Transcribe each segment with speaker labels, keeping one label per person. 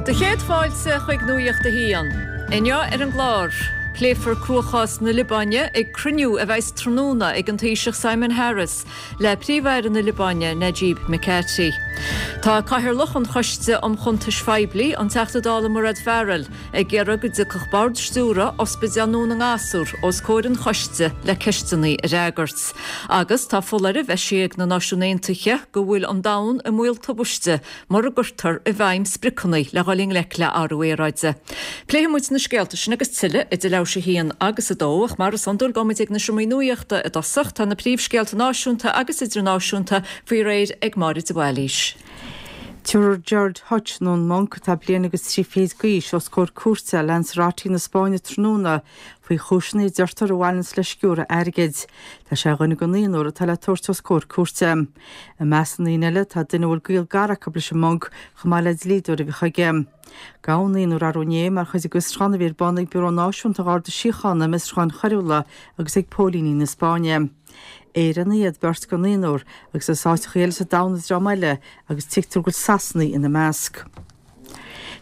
Speaker 1: Do chéad fáilte chuig Nuacht a hAon. Inniu ar an gclár, pléifear cruachás na Liobáine ag cruinniú a bheas tráthnóna ag an Taoiseach Simon Harris le Príomh-Aire na Liobáine Najib Mikati. Tá Cathaoirleach an Choiste um Chuntais Phoiblí, an Teachta Dála Mairéad Farrell, ag iarraidh go dtiocfadh Bord Stiúrtha Ospidéal Dhún na nGasúr os comhair an choiste le ceisteanna a fhreagairt. Agus tá foláireamh eisithe ag na Náisiúin Aontaithe go bhfuil an domhan i mbaol tubaiste mura gcuirtear i bhfeidhm spriocanna le dhul i ngleic le athrú aeráide. Pléifidh muid na scéalta sin agus tuilleadh idir leathuair tar éis a haon agus a dó, ach mar is iondúil gabhfaidh muid ag na seomraí nuachta i dtosach. Tá na príomhscéalta náisiúnta agus idirnáisiúnta faoi réir ag Máire de Bhailís.
Speaker 2: Tabharfar Gerard Hutch, nó an Monk, atá bliain agus 3 fichid d'aois, os comhair cúirte i Lanzarote na Spáinne tráthnóna faoi chúiseanna a deirtear a bhaineanns le sciúradh airgid. Tá sé ar dhuine den naonúr atá le tabhairt os comhair cúirte. I measc na ndaoine eile tá duine a bhfuil gaol gar acu leis an Monk chomh maith le dlíodóir a bhíodh aige. Gabhadh an naonúr arú inné mar chuid de fhiosrúchán a bhí ar bun ag Biúró Náisiúnta an Gharda Síochána um Fhiosrúcháin Choiriúla agus ag póilíní na Spáinne. Éireannaigh iad beirt den naonúr agus as áiteacha eile sa domhan an dream eile agus tuigtear go bhfuil Sasanaigh ina measc.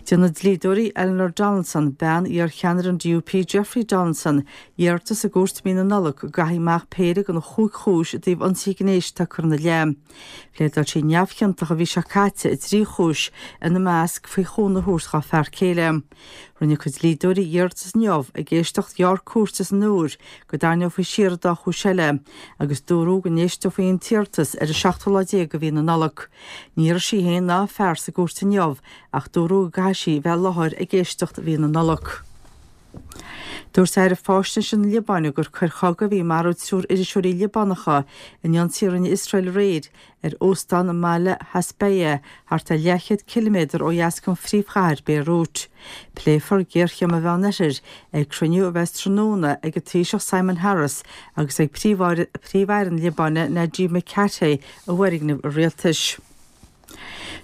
Speaker 2: Déanfaidh dlíodóirí Eleanor Donaldson, bean iar-cheannaire an DUP Jeffrey Donaldson, iarratas i gcúirt i mí na Nollag go gcaithfí amach péire de na chúig chúis i dtaobh ionsaithe gnéis atá curtha ina leith. Phléadáil sí neamhchiontach an mhí seo caite i dtrí chúis, ina measc faoi chúnamh a thabhairt dá fear céile. Rinne a cuid dlíodóirí iarratas inniu ag éisteacht ghearr cúirte san Iúr go dtarraingeofaí siar an dá chúis eile agus dúradh go n-éisteofaí an t-iarratas ar an seachtú lá déag de mhí na Nollag. Ní raibh sí féin ná a fear sa gcúirt inniu ach dúradh go gcaithfidh sí bheith i láthair ag éisteacht mhí na Nollag. Dúirt Aire Faisnéise na Liobáine gur coir chogaidh a bhí ag marú triúr iriseoirí Liobánacha in ionsaí a rinne Iosrael aréir ar óstán i mbaile Hasbaya, thart ar leathchéad ciliméadar ó dheas den phríomhchathair, Béirút. Pléifear géarchéim an Mheánoirthir ag cruinniú a bheas tráthnóna ag an Taoiseach Simon Harris agus ag Príomh-Aire na Liobáine Najib Mikati i bhfoirgneamh an rialtais.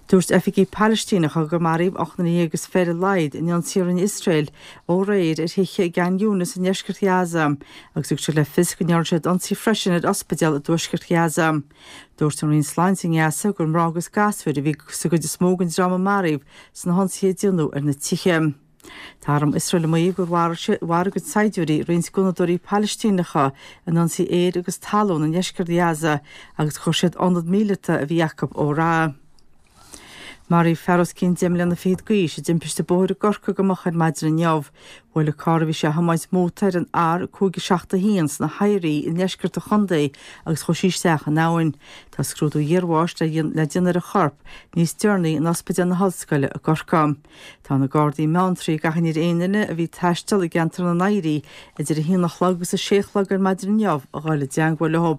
Speaker 2: Dúirt oifigigh Phalaistíneacha gur maraíodh 18 nduine ar a laghad in ionsaí a rinne Iosrael aréir ar thithe i gCan Younis i ndeisceart Ghaza agus thug siad le fios go ndearna siad ionsaí freisin ar ospidéal i dtuaisceart Ghaza. Dúirt an Roinn Sláinte i nGaza gur mná agus gasúir a bhí sa gcuid is mó den dream a maraíodh sna hionsaithe a déanadh ar na tithe. Tá arm Iosrael ag maíomh gur mharaigh a gcuid saighdiúirí roinnt gunnadóirí Palaistíneacha in ionsaí aeir agus talún i ndeisceart Ghaza agus chuir siad ionad míleata a bhí acu ó rath. Maraíodh fear os cionn deich mbliana fichead d'aois i dtimpiste bóthair i gCorcaigh go moch ar maidin inniu. Bhuail an carr a bhí sé a thiomáint mótair an R571 sna hOidhrí i ndeisceart an chontae agus chuaigh sí isteach in abhainn. Tá scrúdú iarbháis le déanamh ar an chorp níos deireanaí in Ospidéal na hOllscoile i gCorcaigh. Tá na Gardaí i mBeanntraí ag achainí ar aon duine a bhí ag taisteal i gceantar na nOidhrí idir 1 a chlog agus 6 a chlog ar maidin inniu a dhul i dteangmháil leo.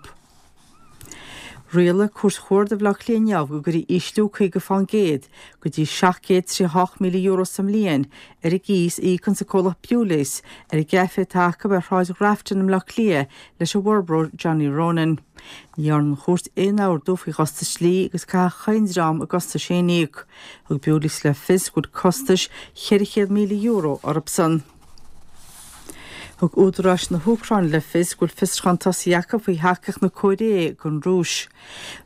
Speaker 2: Rialaigh Cúirt Chuarda Bhaile Átha Cliath inniu go gcuirfí ísliú 50% go dtí €738,000 sa mbliain ar an gcíos a íocanns an comhlacht Bewley's ar an gcaifé atá acu ar Shráid Ghrafton i mBleá Cliath leis an bhforbróir Johnny Ronan. Ní dhearna an chúirt aon ordú faoi chostais dlí agus caithfidh chaon dream a gcostais féin a íoc. Thug Bewley's le fios go bhfuil costais €400,000 orthusan. Thug údaráis na hÚcráine le fios go bhfuil fiosrúchán tosaithe acu faoi thacaíocht na Cóiré don Rúis.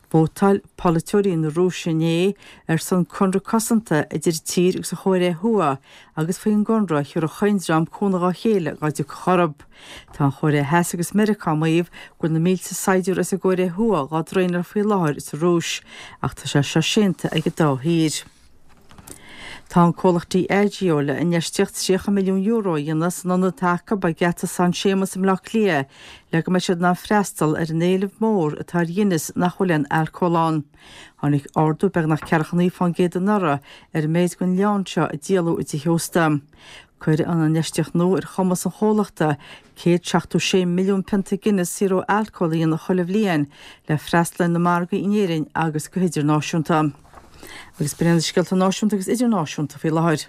Speaker 2: Vótáil polaiteoirí na Rúise inné ar son conradh cosanta idir an tír agus an Chóiré Thuaidh agus faoin gconradh thabharfadh chaon dream cúnamh dhá chéile dá dtiocfadh orthu. Tá an Chóiré Theas agus Meiriceá ag maíomh go bhfuil na mílte saighdiúir as an gCóiré Thuaidh dhá dtraenáil faoi láthair sa Rúis, ach tá sé seo séanta ag an dá thír. Tá an comhlacht Diageo le infheistíocht €30 milliún a dhéanamh san ionad atá acu ag Geata San Séamas i mBleá Cliath le go mbeidh siad in ann freastal ar an éileamh mór atá ar Ghuinness nach bhfuil aon alcól ann. Tháinig ardú beagnach 49% anuraidh ar an méid den leann seo a díoladh i dtithe ósta. Cuirfidh an infheistíocht nua ar chumas an chomhlachta 176 milliún pionta Guinness saor ó alcól a dhéanamh chuile bhliain le freastal ar na margaí in Éirinn agus go hidirnáisiúnta. Agus b'in iad na scéalta náisiúnta agus idirnáisiúnta faoi láthair.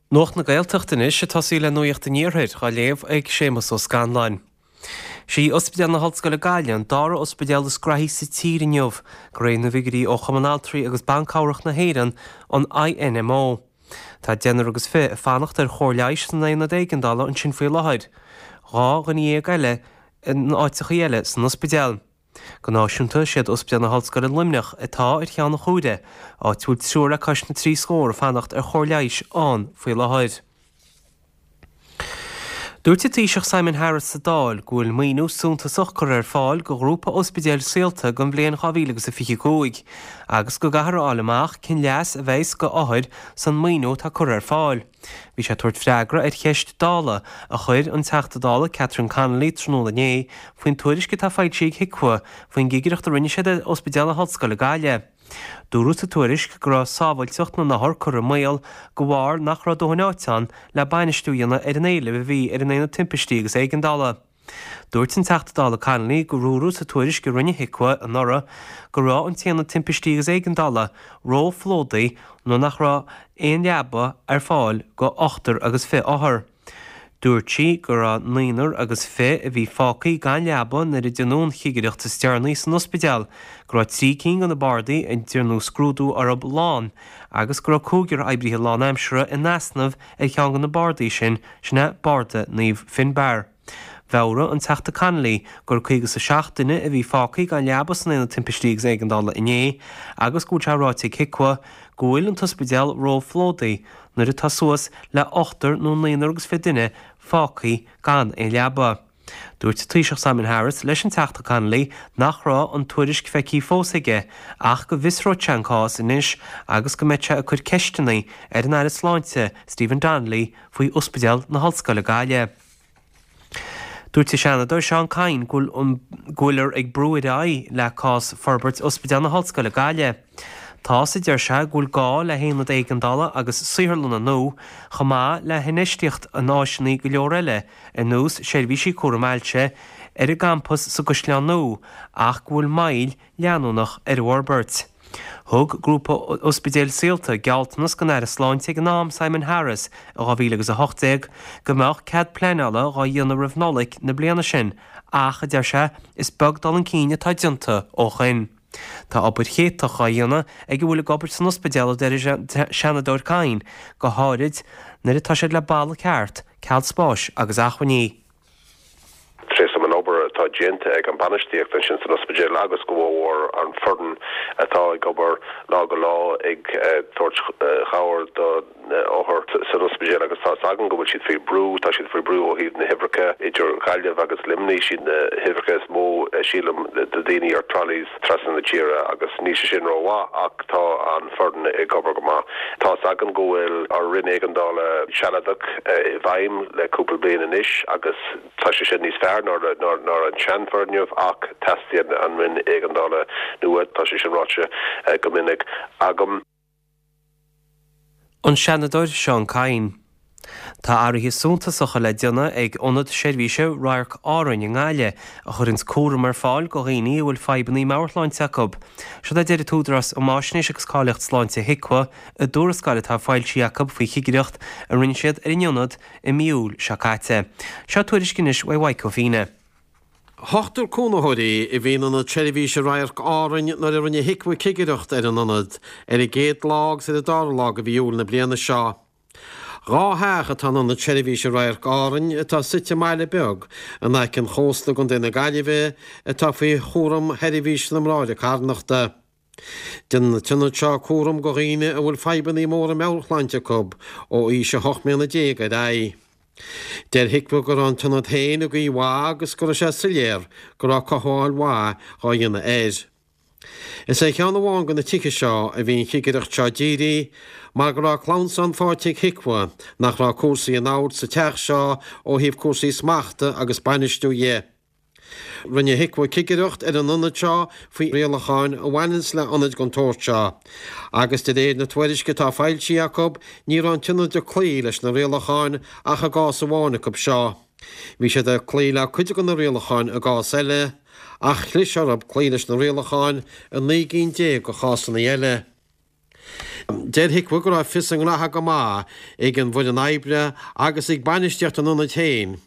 Speaker 3: Nuacht na Gaeltachta anois, ag tosaí le Nuacht an Iarthair, á léamh ag Séamus Ó Scanláin. Sí Ospidéal na hOllscoile Gaillimh an dara ospidéal is graithí sa tír inniu, de réir na bhfigiúirí ó Chumann Altraí agus Ban Cabhrach na hÉireann, an INMO. Tá deichniúr agus 20 ag fanacht ar chóir leighis san aonad éigeandála ansin faoi láthair, 12 dhuine eile in áiteachaí eile san ospidéal. Go náisiúnta, siad Ospidéal na hOllscoile Luimneach atá ar cheann an chuaire, áit a bhfuil triúr le cois na dtrí scór ag fanacht ar chóir leighis ann faoi láthair. Dúirt an Taoiseach Simon Harris sa Dáil go bhfuil maoiniú suntasach curtha ar fáil do ghrúpa ospidéil Saolta don bhliain 2025 agus go gcaithfear a fháil amach cén leas a bheas go othair san maoiniú atá curtha ar fáil. Bhí sé ag tabhairt freagra ar cheist Dála a chuir an Teachta Dála Catherine Connolly tráthnóna inné faoin tuairisc atá foilsithe ag HIQA faoin gcigireacht a rinne siad ar Ospidéal na hOllscoile Gaillimh. Dúradh sa tuairisc go raibh sábháilteacht na n-othar curtha i mbaol de bharr nach raibh dóthain áite ann le bainistiú a dhéanamh ar an éileamh a bhí ar an Aonad Timpistí agus Éigeandála. Dúirt an Teachta Dála Connolly gur dúradh sa tuairisc a rinne HIQA anuraidh go raibh an tAonad Timpistí agus Éigeandála ró-phlódaithe nuair nach raibh aon leaba ar fáil go ochtar agus fi othar. Dúirt sí go raibh naonúr agus fi a bhí fágtha gan leaba nuair a déanadh an chigireacht is deireanaí san ospidéal, go raibh 3 cinn de na bardaí a ndearnadh scrúdú orthu lán agus go raibh cúigear oibrithe lánaimseartha in easnamh ar cheann de na bardaí sin, sin é barda Naomh Finbarr. Mheabhraigh an Teachta Connolly gur 57 duine a bhí fágtha gan leaba san Aonad Timpistí agus Éigeandála inné agus go bhfuil sé ráite ag HIQA go bhfuil an t-ospidéal ró-phlódaithe nuair atá suas le ochtar nó naonúr agus fi duine fágtha gan aon leaba. Dúirt an Taoiseach Simon Harris leis an Teachta Connolly nach raibh an tuairisc feicthe fós aige ach go bhfiosróidh sé an cás anois agus go mbeidh sé ag cur ceisteanna ar an Aire Sláinte Stephen Donnelly faoi Ospidéal na hOllscoile Gaillimh. Dúirt an Seanadóir Seán Kyne go bhfuiltear ag brú ar aghaidh le cás forbairt Ospidéal na hOllscoile Gaillimh. Tá's, a deir sé, go bhfuil gá le haonad éigeandála agus saotharlanna nua, chomh maith le hinfheistíocht in áiseanna go leor eile ar nós seirbhísí cúram ailse ar an gcampas sa gCaisleán Nua ach go bhfuil moill leanúnach ar an bhforbairt. Thug Grúpa Ospidéil Saolta gealltanas don Aire Sláinte ag an am, Simon Harris, i 2018 go mbeadh cead pleanála dhá dhéanamh roimh Nollaig na bliana sin ach, a deir sé, is beag dul chun cinn atá déanta ó shoin. Tá obair chéatach dhá dhéanamh ag a bhfuil ag obair san ospidéal, a deir an Seanadóir Kyne, go háirid nuair atá siad le balla ceart, ceal spáis agus acmhainní.
Speaker 4: Tréaslaím an obair atá déanta ag an bainistíocht ansin san ospidéal agus go mhór an foireann atá ag obair lá go lá ag tabhairt chabhair do na othair san ospidéal agus tá 'fhios againn go bhfuil siad faoi brú, tá siad faoi brú ó thaobh na huimhreacha idir Ghaillimh agus Luimnigh, siad na huimhreacha is mó sílim de daoine ar trolleys trasna na tíre agus níl sé sin rómhaith ach tá an foireann ag obair go maith. Tá 'fhios againn go bhfuil ár roinn éigeandála sealadach i bhfeidhm le cúpla bliain anois agus tá sé sin níos fearr ná an seanfhoirgneamh ach teastaíonn an roinn éigeandála nua, tá sé sin ráite go minic agam.
Speaker 3: An Seanadóir Seán Kyne. Tá athruithe suntasacha le déanamh ag Ionad Seirbhíse Radharc Árainn i nGaillimh, a chuireanns cúram ar fáil go dhaoine a bhfuil fadhbanna meabhairshláinte acu. Seod é a deir an tÚdarás um Fháisnéis agus Cáilíocht Sláinte, HIQA, i dtuarascáil atá foilsithe acu faoi chigireacht a rinne siad ar an ionad i mí Iúil seo caite. Seo tuairisc anois uaidh Mhaidhc Ó Fíne.
Speaker 5: Ochtar cónaitheoirí a bhí in Ionad Seirbhíse Radharc Árainn nuair a rinne HIQA cigireacht ar an ionad ar an gcéad lá agus ar an dara lá de mhí Iúil na bliana seo. Dhá theach atá in Ionad Seirbhíse Radharc Árainn atá suite i mbaile beag in aice an chósta i gContae na Gaillimhe atá faoi chúram Sheirbhís na mBráithre Carthanachta. Déanann an t-ionad seo cúram go dhaoine a bhfuil fadhbanna móra meabhairshláinte acu ó aois 18 mbliana ar aghaidh. Deir HIQA go raibh an t-ionad féin i gcaoi mhaith agus go raibh sé soiléir go raibh cothabháil mhaith dhá dhéanamh air. Is ar cheann amháin de na tithe seo a bhí an chigireacht seo dírithe mar go raibh clamhsán faighte ag HIQA nach raibh cúrsaí in ord sa teach seo ó thaobh cúrsaí smachta agus bainistiú dhe. Rinne HIQA cigireacht ar an ionad seo faoi rialacháin a bhaineanns le hionaid den tsórt seo, agus de réir na tuairisce atá foilsithe acu, ní raibh an t-ionad ag cloí leis na rialacháin ach i gcás amháin acu seo. Bhí siad ag cloí le cuid de na rialacháin i gcás eile, ach chlis orthu cloí leis na rialacháin i 19 gcinn de chásanna eile. Deir HIQA go raibh fios a ngraithe go maith ag an bhfoireann oibre agus ag bainistíocht an ionaid féin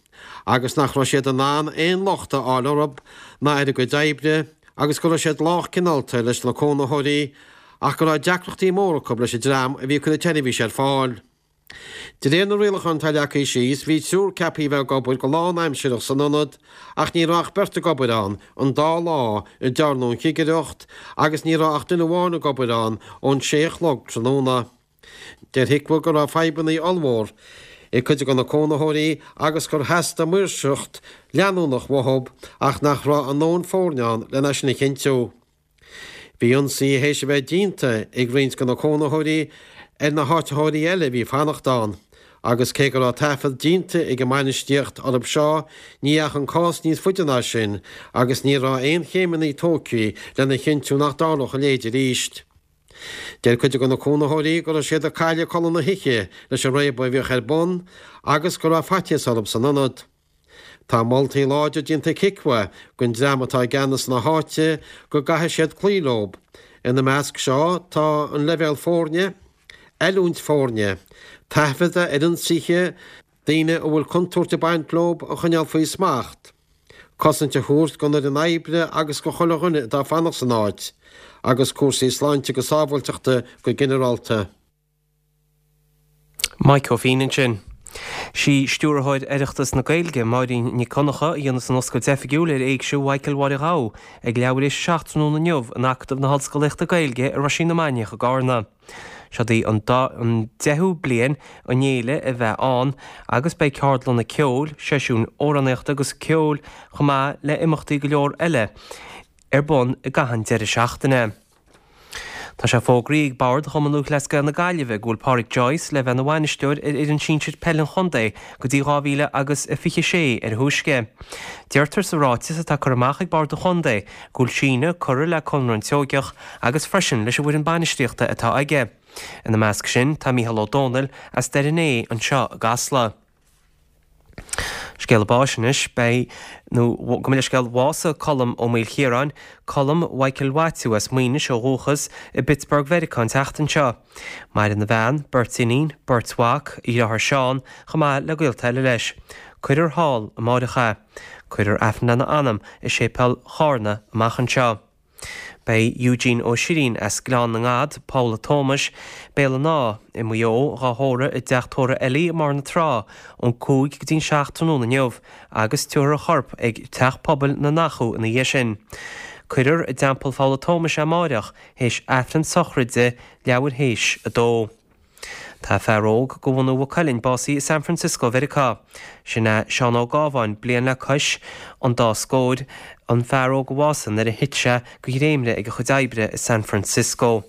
Speaker 5: agus nach raibh siad in ann aon locht a fháil orthu ná ar a gcuid oibre agus go raibh siad lách cineálta leis na cónaitheoirí ach go raibh deacrachtaí móra acu leis an dream a bhí ag cur an tseirbhís ar fáil. De réir na rialachán atá leagtha síos, bhí triúr ceaptha a bheith ag obair go lánaimsireach san ionad ach ní raibh ach beirt ag obair ann an dá lá a dtearnadh an chigireacht agus ní raibh ach duine amháin ag obair ann ón sé a chlog tráthnóna. Deir HIQA go raibh fadhbanna ollmhór ag cuid de na cónaitheoirí agus gur theastaigh maoirseacht leanúnach uathu ach nach raibh a ndóthain foirne ann lena sin a chinntiú. Bhí ionsaithe théis a bheith déanta ag roinnt de na cónaitheoirí ar na háitritheoirí eile a bhí ag fanacht ann, agus cé go raibh taifead déanta ag an mbainistíocht orthu seo, ní dheachaigh an cás níos faide ná sin agus ní raibh aon chéimeanna tógtha lena chinntiú nach dtarlódh a leithéid arís. Deir cuid de na cónaitheoirí go raibh siad ag cailleadh codladh na hoíche leis an réabadh a bhíodh ar bun agus go raibh faitíos orthu san ionad. Tá moltaí láidre déanta ag HIQA don dream atá i gceannas na háite go gcaithfidh siad cloí leo. Ina measc seo tá an leibhéal foirne, oiliúint foirne, taifeadadh ar ionsaithe, daoine a bhfuil contúirt ag baint leo a choinneáil faoi smacht, cosaint a thabhairt don fhoireann oibre agus do chuile dhuine atá ag fanacht san áit, agus cúrsaí sláinte agus sábháilteachta go ginearálta.
Speaker 3: Mike Ó Fínn ansin. Sí Stiúrthóir Oireachtas na Gaeilge, Máirín Nic Dhonncha, a dhéanfas an oscailt oifigiúil ar Éigse Mhichael Mháire Ghabha ag leathuair théis a 7 tráthnóna inniu in Acadamh na hOllscolaíochta Gaeilge i Roisín na Mainiach i gCarna. Seod í an deichiú bliain an fhéile a bheith ann agus beidh ceardlanna ceoil, seisiúin amhránaíochta agus ceoil chomh maith le imeachtaí go leor eile ar bun i gcaitheamh an deireadh seachtaine. Tá sé fógraithe ag Bord Chumann Lúthchleas Gael na Gaillimhe go bhfuil Pádraic Joyce le bheith ina bhainisteoir ar fhoireann sinsir peile an chontae go dtí 2026 ar a thúisce. Deirtear sa ráiteas atá curtha amach ag Bord an Chontae go bhfuil síneadh curtha le conradh an tSeoigeach agus freisin leis an bhfoireann bainistíochta atá aige. Ina measc sin tá Mícheál Ó Domhnaill as Doire an Fhéich anseo i gCasla. Scéala báis anois, beidh, nó gabh mo leithscéal, bhásaigh Colm Ó Maoilchiaráin, Colm Mhichael Mhaitiú as Maínis ó dhúchas, i bPittsburgh Mheiriceá an tseachtain seo. Maireann a bhean, beirt iníon, beirt mhac, a dheartháir Seán, chomh maith le gaolta eile leis. Cuirfear thall amáireach é. Cuirfear Aifreann lena anam i Séipéal Chárna amach anseo. Beidh Eugene Ó Sirín as Gleann na nGad, Poll a' Tómais, Béal an Átha, i Maigh Eo, dhá thórramh i dteach tórraimh Ellie i mBarr na Trá ón 5 go dtí'n 7 tráthnóna inniu agus tabharfar a chorp ag Teach Pobail na nAchadh ina dhiaidh sin. Cuirfear i dTeampall Pholl a' Tómais é amáireach théis Aifreann sochraide leathuair théis a dó. Tá fear óg de bhunadh Mhaigh Cuilinn básaithe i San Francisco Mheiriceá. Sin é Seán Ó Gábháin, bliain le cois an dá scóir, an fear óg a bhásaigh nuair a thit sé de dhréimire ag a chuid oibre i San Francisco.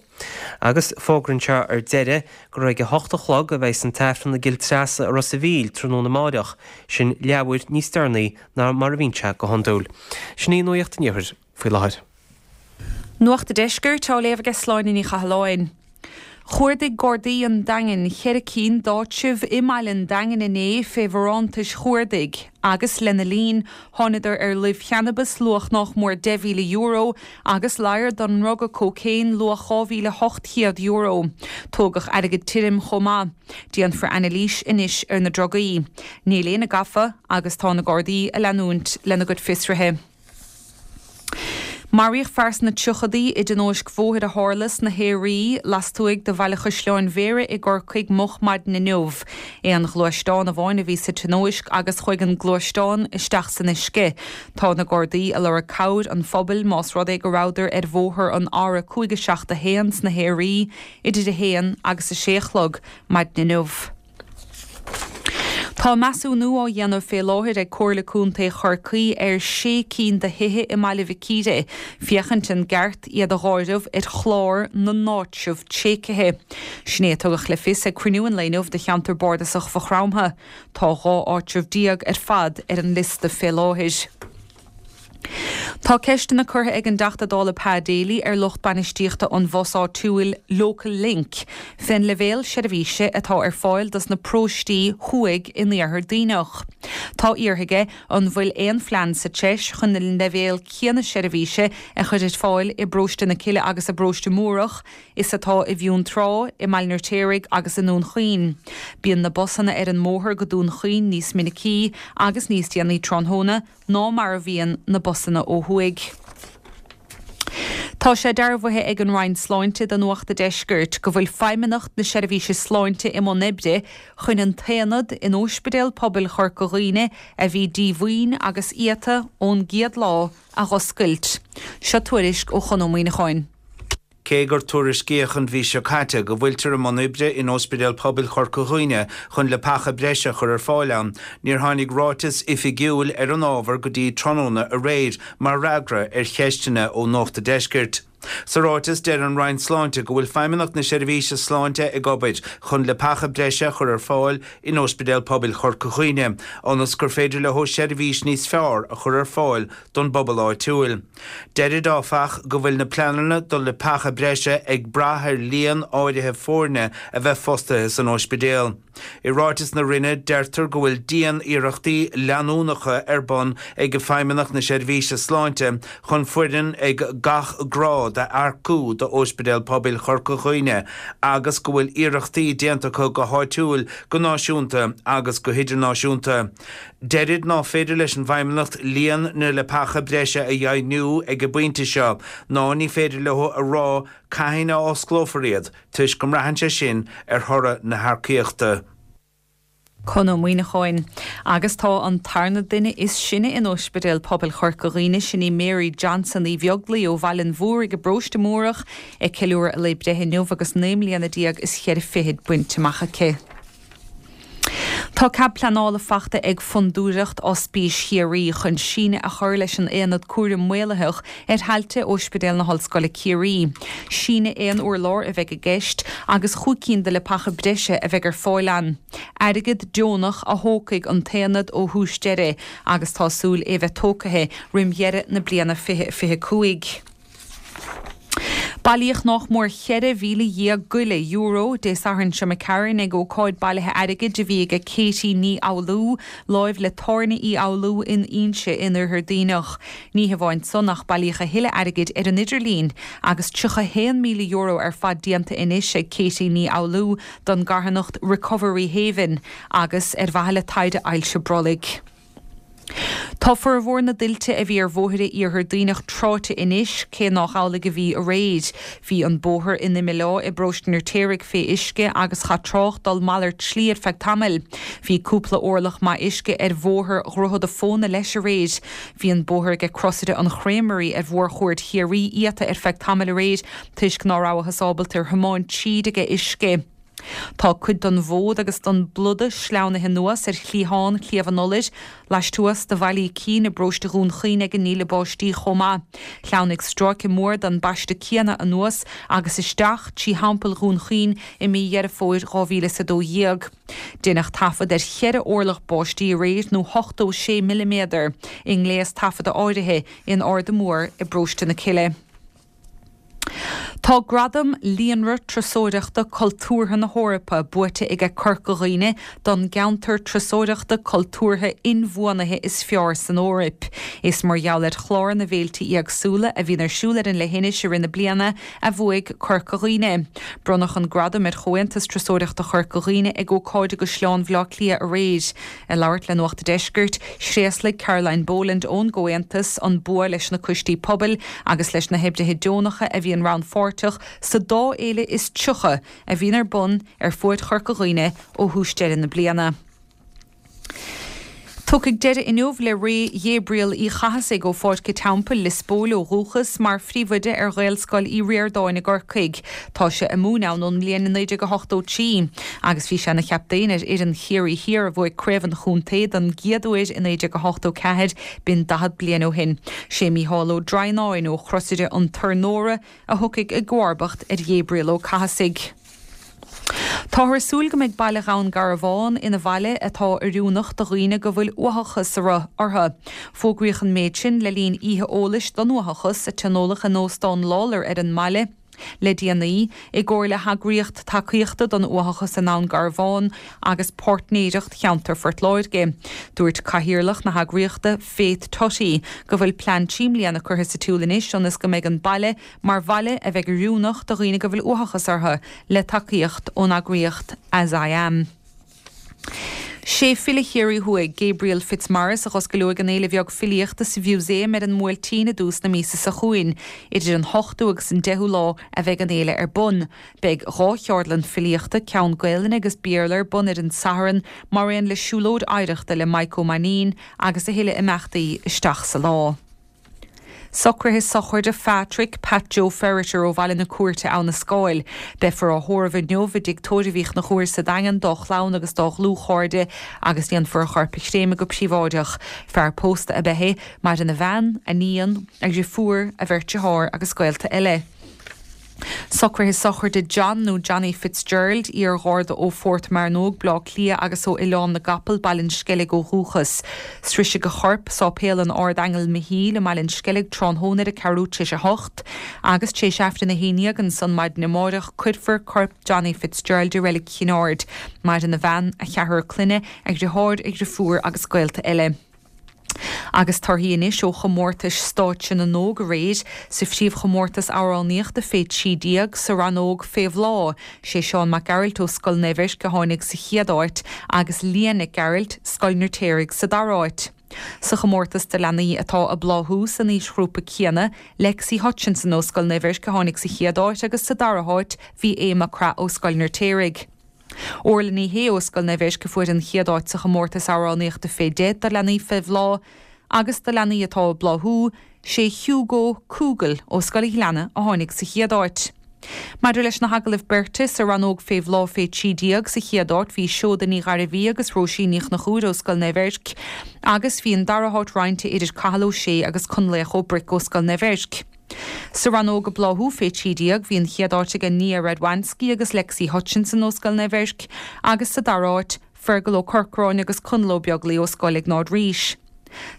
Speaker 3: Agus fógraíonn sé ar deireadh gur ag a hocht a chlog a bheidhs an tAifreann i gCill Treasa i Ros a' Mhíl tráthnóna amáireach, sin leathuair níos deireanaí ná mar a bhíonn sé go hiondúil. Sin í Nuacht an Iarthair faoi láthair.
Speaker 6: Nuacht an Deiscirt á léamh aige Sláine Ní Chathalláin. Chuardaigh Gardaí an Daingin cheithre cinn d'áitribh i mbaile an Daingin inné fé bharántais chuardaigh agus lena linn thánadar ar luibh channabais luach nách mór €10,000 agus ladhar don ndruga cócaon luach €2,800. Tógadh airgead tirim chomh maith. Déanfar anailís anois ar na drugaí. Níl éinne gafa agus tá na Gardaí a leanúint lena gcuid fiosruithe. Maraíodh fear sna tríochadaí i dtionóisc bhóthair a tharla sna hAoraí, lastuaidh de Bhaile Chaisleáin Bhéarra i gCorcaigh moch maidin inniu. Aon ghluaisteán amháin a bhí sa tionóisc agus chuaigh an gluaisteán isteach san uisce. Tá na Gardaí a lorg cabhair an phobail más rud é go rabhadar ar bhóthar an R571 sna hAoraí idir 1 agus 6 a chlog maidin inniu. Tá measúnú á dhéanamh fé láthair ag Comhairle Contae Chorcaí ar sé cinn de thithe i mBaile Mhic Íre féachaint an gceart iad a dh'áireamh ar chlár na n-áitreabh tréigthe. Sin é a tugadh le fios ag cruinniú an lae inniu de cheantar bardasach Mhaigh Chromtha. Tá 12 áitreabh ar fad ar an liosta fé láthair. Tá ceisteanna curtha ag an dTeachta Dála Pa Daly ar lucht bainistíochta an bhus áitiúil Local Link fén leibhéal seirbhíse atá ar fáil dos na paróistí thuaidh in Iarthar Duibhneach. Tá iarrtha aige an bhfuil aon phlean sa treis chun an leibhéal céanna seirbhíse a chur ar fáil i bparóiste na Cille agus i bparóiste Múrach is atá i bhFionntrá, i mBaile an Fheirtéaraigh agus i nDún Chaoin. Bíonn na busanna ar an mbóthar go Dún Chaoin níos minicí agus níos déanaí tráthnóna, ná mar a bhíonn na busanna ó thuaidh. Tá sé dearbhaithe ag an Roinn Sláinte do Nuacht a' Deiscirt go bhfuil Feidhmeannacht na Seirbhíse Sláinte i mbun oibre chun an t-aonad in Óispidéal Pobail Chorca Dhuibhne a bhí díomhaoin agus iata ón gcéad lá a dh'oscailt. Seo tuairisc ó Chon Ó Muíneacháin.
Speaker 7: Cé gur tuairiscíodh an mhí seo caite go bhfuiltear i mbun oibre in Óispidéal Pobail Chorca Dhuibhne chun leapacha breise a chur ar fáil ann, níor tháinig ráiteas oifigiúil ar an ábhar go dtí tráthnóna aréir mar fhreagra ar cheisteanna ó Nuacht a' Deiscirt. Sa ráiteas, deir an Roinn Sláinte go bhfuil Feidhmeannacht na Seirbhíse Sláinte ag obair chun leapacha breise a chur ar fáil in Óispidéal Pobail Chorca Dhuibhne ionas gur féidir leo seirbhís níos fearr a chur ar fáil don bpobal áitiúil. Deirid, áfach, go bhfuil na pleananna do leapacha breise ag brath ar líon áirithe foirne a bheith fostaithe san óispidéal. I ráiteas na Roinne, deirtear go bhfuil dian-iarrachtaí leanúnacha ar bun ag Feidhmeannacht na Seirbhíse Sláinte chun foireann ag gach grád a earcú d'Óispidéal Pobail Chorca Dhuibhne agus go bhfuil iarrachtaí déanta acu go háitiúil, go náisiúnta agus go hidirnáisiúnta. Deirid ná féidir leis an bhFeidhmeannacht líon na leapacha breise a dheimhniú ag an bpointe seo ná ní féidir leo a rá cathain a osclófar iad toisc go mbraitheann sé sin ar thoradh na hearcaíochta.
Speaker 6: Con Ó Muíneacháin. Agus tá an tarna duine is sine in Óispidéal Pobail Chorca Dhuibhne, sin í Mary Johnson Uí Bheaglaoi ó Bhaile an Mhúraigh i bParóiste Múrach, ag ceiliúradh a lae breithe inniu agus 19 mbliana is cheithre fichid bainte amach aici. Tá cead pleanála fachta ag Fondúireacht Ospís Chiarraí chun síneadh a chur leis an aonad cúraim maolaitheach ar thailte Óispidéal na hOllscoile Ciarraí. Síneadh aon urlár a bheidh i gceist agus chúig cinn de leapacha breise a bheidh ar fáil ann. Airgead deonach a thógfaidh an t-aonad ó thús deireadh agus tá súil é bheith tógtha roim dheireadh na bliana 2025. Bailíodh nách mór €14,000 goile euro Dé Sathairn seo imigh tharainn ag ócáid bailithe airgid a bhí aige Katie Ní Fhoghlú, láimh le Tábhairne Uí Fhoghlú in Inse in Oirthear Duibhneach. Ní hamháin san ach bailíodh a thuilleadh airgid ar an idirlíon agus €31,000 ar fad déanta anois ag Katie Ní Fhoghlú don gcarthanacht Recovery Haven agus ar mhaithe le taighde ailse brollaigh. Tá formhór na dtuilte a bhí ar bhóithre Iarthar Duibhneach tráite anois, cé nách amhlaidh a bhí aréir. Bhí an bóthar in Imill Átha i bparóiste an Fheirtéaraigh fé uisce agus chaith trácht dul malairt slí ar feadh tamaill. Bhí cúpla orlach maith uisce ar bhóthar Dhroichead a' Phóna leis aréir. Bhí an bóthar aige Crosaire an Chreamery ar mhórchuaird Chiarraí iata ar feadh tamaill aréir toisc ná rabhthas ábalta ar thiomáint tríd aige uisce. Tá cuid den bhfód agus den bpluda sleamhnaithe anuas ar chliathán Shliabh an Iolair, laistuas de Bhaile Uí Cinn i bparóiste Dhún Chaoin ag an ndíle báistí chomh maith. Shleamhnaigh stráice mór den bpaiste céanna anuas agus isteach trí Theampall Dhún Chaoin i mí Dheireadh Fómhair 2012. Deineadh taifead ar cheithre orlach báistí aréir nó 86 milliméadar i ngléas taifeadta áirithe in Arda Mór i bparóiste na Cille. Tá gradam Líonra Turasóireachta Cultúrtha na hEorpa buaite aige Corca Dhuibhne don gceantar turasóireachta cultúrtha inbhuanaithe is fearr san Eoraip. Is mar gheall ar chlár na bhféilte éagsúla a bhíonn ar siúl ar an leithinis i rith na bliana a bhuaigh Corca Dhuibhne. Bronnadh an gradam ar Chomhaontas Turasóireachta Chorca Dhuibhne ag ócáid i gCaisleán Bhaile Átha Cliath aréir. Ag labhairt le Nuacht a' Deiscirt, thréaslaigh Caroline Boland ón gComhaontas an bua leis na coistí pobail agus leis na hoibrithe deonacha a bhíonn rannpháirteach sa dá fhéile is 30 a bhíonn ar bun ar fuaid Chorca Dhuibhne ó thús deireadh na bliana. Tiocfaidh deireadh inniu le ré Ghabriel Uí Chathasaigh ó Pháirc a' Teampaill, Lios Póil ó dhúchas, mar phríomhoide ar Ghaelscoil Uí Ríordáin i gCorcaigh. Tá sé ag múineadh ann ón mbliain 1983 agus bhí sé ina chaptaen ar fhoireann Chiarraí Thiar a bhuaigh Craobh an Chontae don gcéad uair i 1984, b'in 40 bliain ó shin. Sé Mícheál Ó Droighneáin ó Chrosaire an Tornóra a thiocfaidh i gcomharbacht ar Ghabriel Ó Cathasaigh. Táthar ag súil go mbeidh baile Dhún Garbhán ina bhaile atá oiriúnach do dhaoine go bhfuil uathachas orthu. Fógraíodh an méid sin le linn oíche eolais don uathachas a tionóladh in Óstán Lawlor ar an mbaile le déanaí, i gcomhar le heagraíocht tacaíochta don uathachas i nDún Garbhán agus Páirtnéireacht Cheantar Phort Láirge. Dúirt cathaoirleach na heagraíochta, Faith Tutty, go bhfuil plean trí mbliana curtha sa tsiúl anois ionas go mbeidh an baile mar bhaile a bheidh oiriúnach do dhaoine go bhfuil uathachas orthu, le tacaíocht ón eagraíocht As I Am. Sé file Chiarraí Thuaidh, Gabriel Fitzmaurice, a dh'oscaileoidh an fhéile bheag filíochta sa Mhúsaem ar an mBuailtín i dtús na míosa seo chugainn. Idir an hochtú agus an deichiú lá a bheidh an fhéile ar bun. Beidh 2 cheardlann filíochta, ceann Gaelainne agus Béarla ar bun ar an Satharn, mar aon le siúlóid oidhreachta le Maidhc Ó Mainnín agus a thuilleadh imeachtaí isteach sa lá. Socruithe sochraide Phatrick Pat Joe Ferriter ó Bhaile na Cúirte, Abha na Scáil. Beifear á thórramh inniu i dTigh Tórraimh Uí Chonchúir sa Daingean dá chlann agus dá dhlúthchairde agus déanfar a chorp a chréamadh go príobháideach. Fear pósta ab ea é. Maireann a bhean, a níon, a dhriofúr, a bheirt dearthár agus gaolta eile. Socruithe sochraide John nó Johnny Fitzgerald, iar-gharda ó Phort Mearnóg, Bleá Cliath agus ó Oileán na gCapall, Baile an Sceilg ó dhúchas. Sroisfidh a chorp Sáipéal an Ard-Aingil Michíl i mBaile an Sceilg tráthnóna ar a ceathrú tar éis a hocht agus tar éis Aifreann a haon dhéag ansan maidin amáireach cuirfear corp Johnny Fitzgerald i Reilig Chinn Aird. Maireann a bhean, a cheathrar clainne, a dhriotháir, a dhriofúr agus gaolta eile. Agus torthaí anois ó chomórtais Stáitse na nÓg aréir, sa phríomhchomórtas amhránaíochta fé 13, sa rannóg Fé Bhláth, sé Seán Mac Gearailt ó Scoil Naomh Eirc a tháinig sa chéad áit agus Lia Nic Gearailt, Scoil an Fheirtéaraigh sa dara háit. Sa chomórtas do leanaí atá ag bláthú san aoisghrúpa céanna, Lexi Hutchinson ó Scoil Naomh Eirc a tháinig sa chéad áit agus sa dara háit bhí Aodh Mac Craith ó Scoil an Fheirtéaraigh. Orla Ní Shé ó Scoil Naomh Eirc a fuair an chéad áit sa chomórtas amhránaíochta fé 10 do leanaí fé bhláth agus do leanaí atá ag bláthú, sé Hugo Coogle ó Scoil an Ghleanna a tháinig sa chéad áit. Maidir leis na hagallaimh beirte, sa rannóg fé bhláth fé 13 sa chéad áit bhí Seoda Ní Ghairbhí agus Róisín Ní Chonchúir ó Scoil Naomh Eirc agus bhí an dara háit roinnte idir Cathal Ó Sé agus Conlaoch Ó Bric ó Scoil Naomh Eirc. Sa rannóg ag bláthú fé 13, bhí an chéad áit aige Nia Radwanski agus Lexi Hutchinson ó Scoil Naomh Eirc agus sa dara háit, Fergal Ó Corcoráin agus Conall Ó Beaglaoi ó Scoil Iognáid Rís.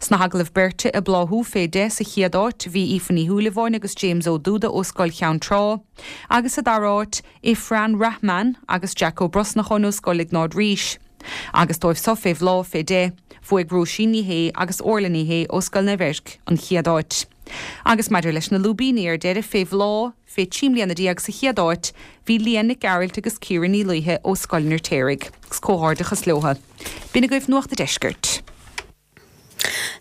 Speaker 6: Sna hagallaimh beirte ag bláthú fé 10 sa chéad áit, bhí Aoife Ní Shúilleabháin agus James Ó Dúda ó Scoil Cheann Trá agus sa dara háit, Ifran Rahman agus Jack Ó Brosnacháin ó Scoil Iognáid Rís. Agus dóibh so fé bhláth fé 10, bhuaigh Róisín Ní Shé agus Orla Ní Shé ó Scoil Naomh Eirc an chéad áit. Agus maidir leis na lúibíní ar deireadh fé bhláth fé 13 mbliana sa chéad áit, bhí Leah Nic Gearailt agus Ciara Ní Laoithe ó Scoil an Fheirtéaraigh. Agus comhghairdeachas leotha. B'in agaibh Nuacht a' Deiscirt.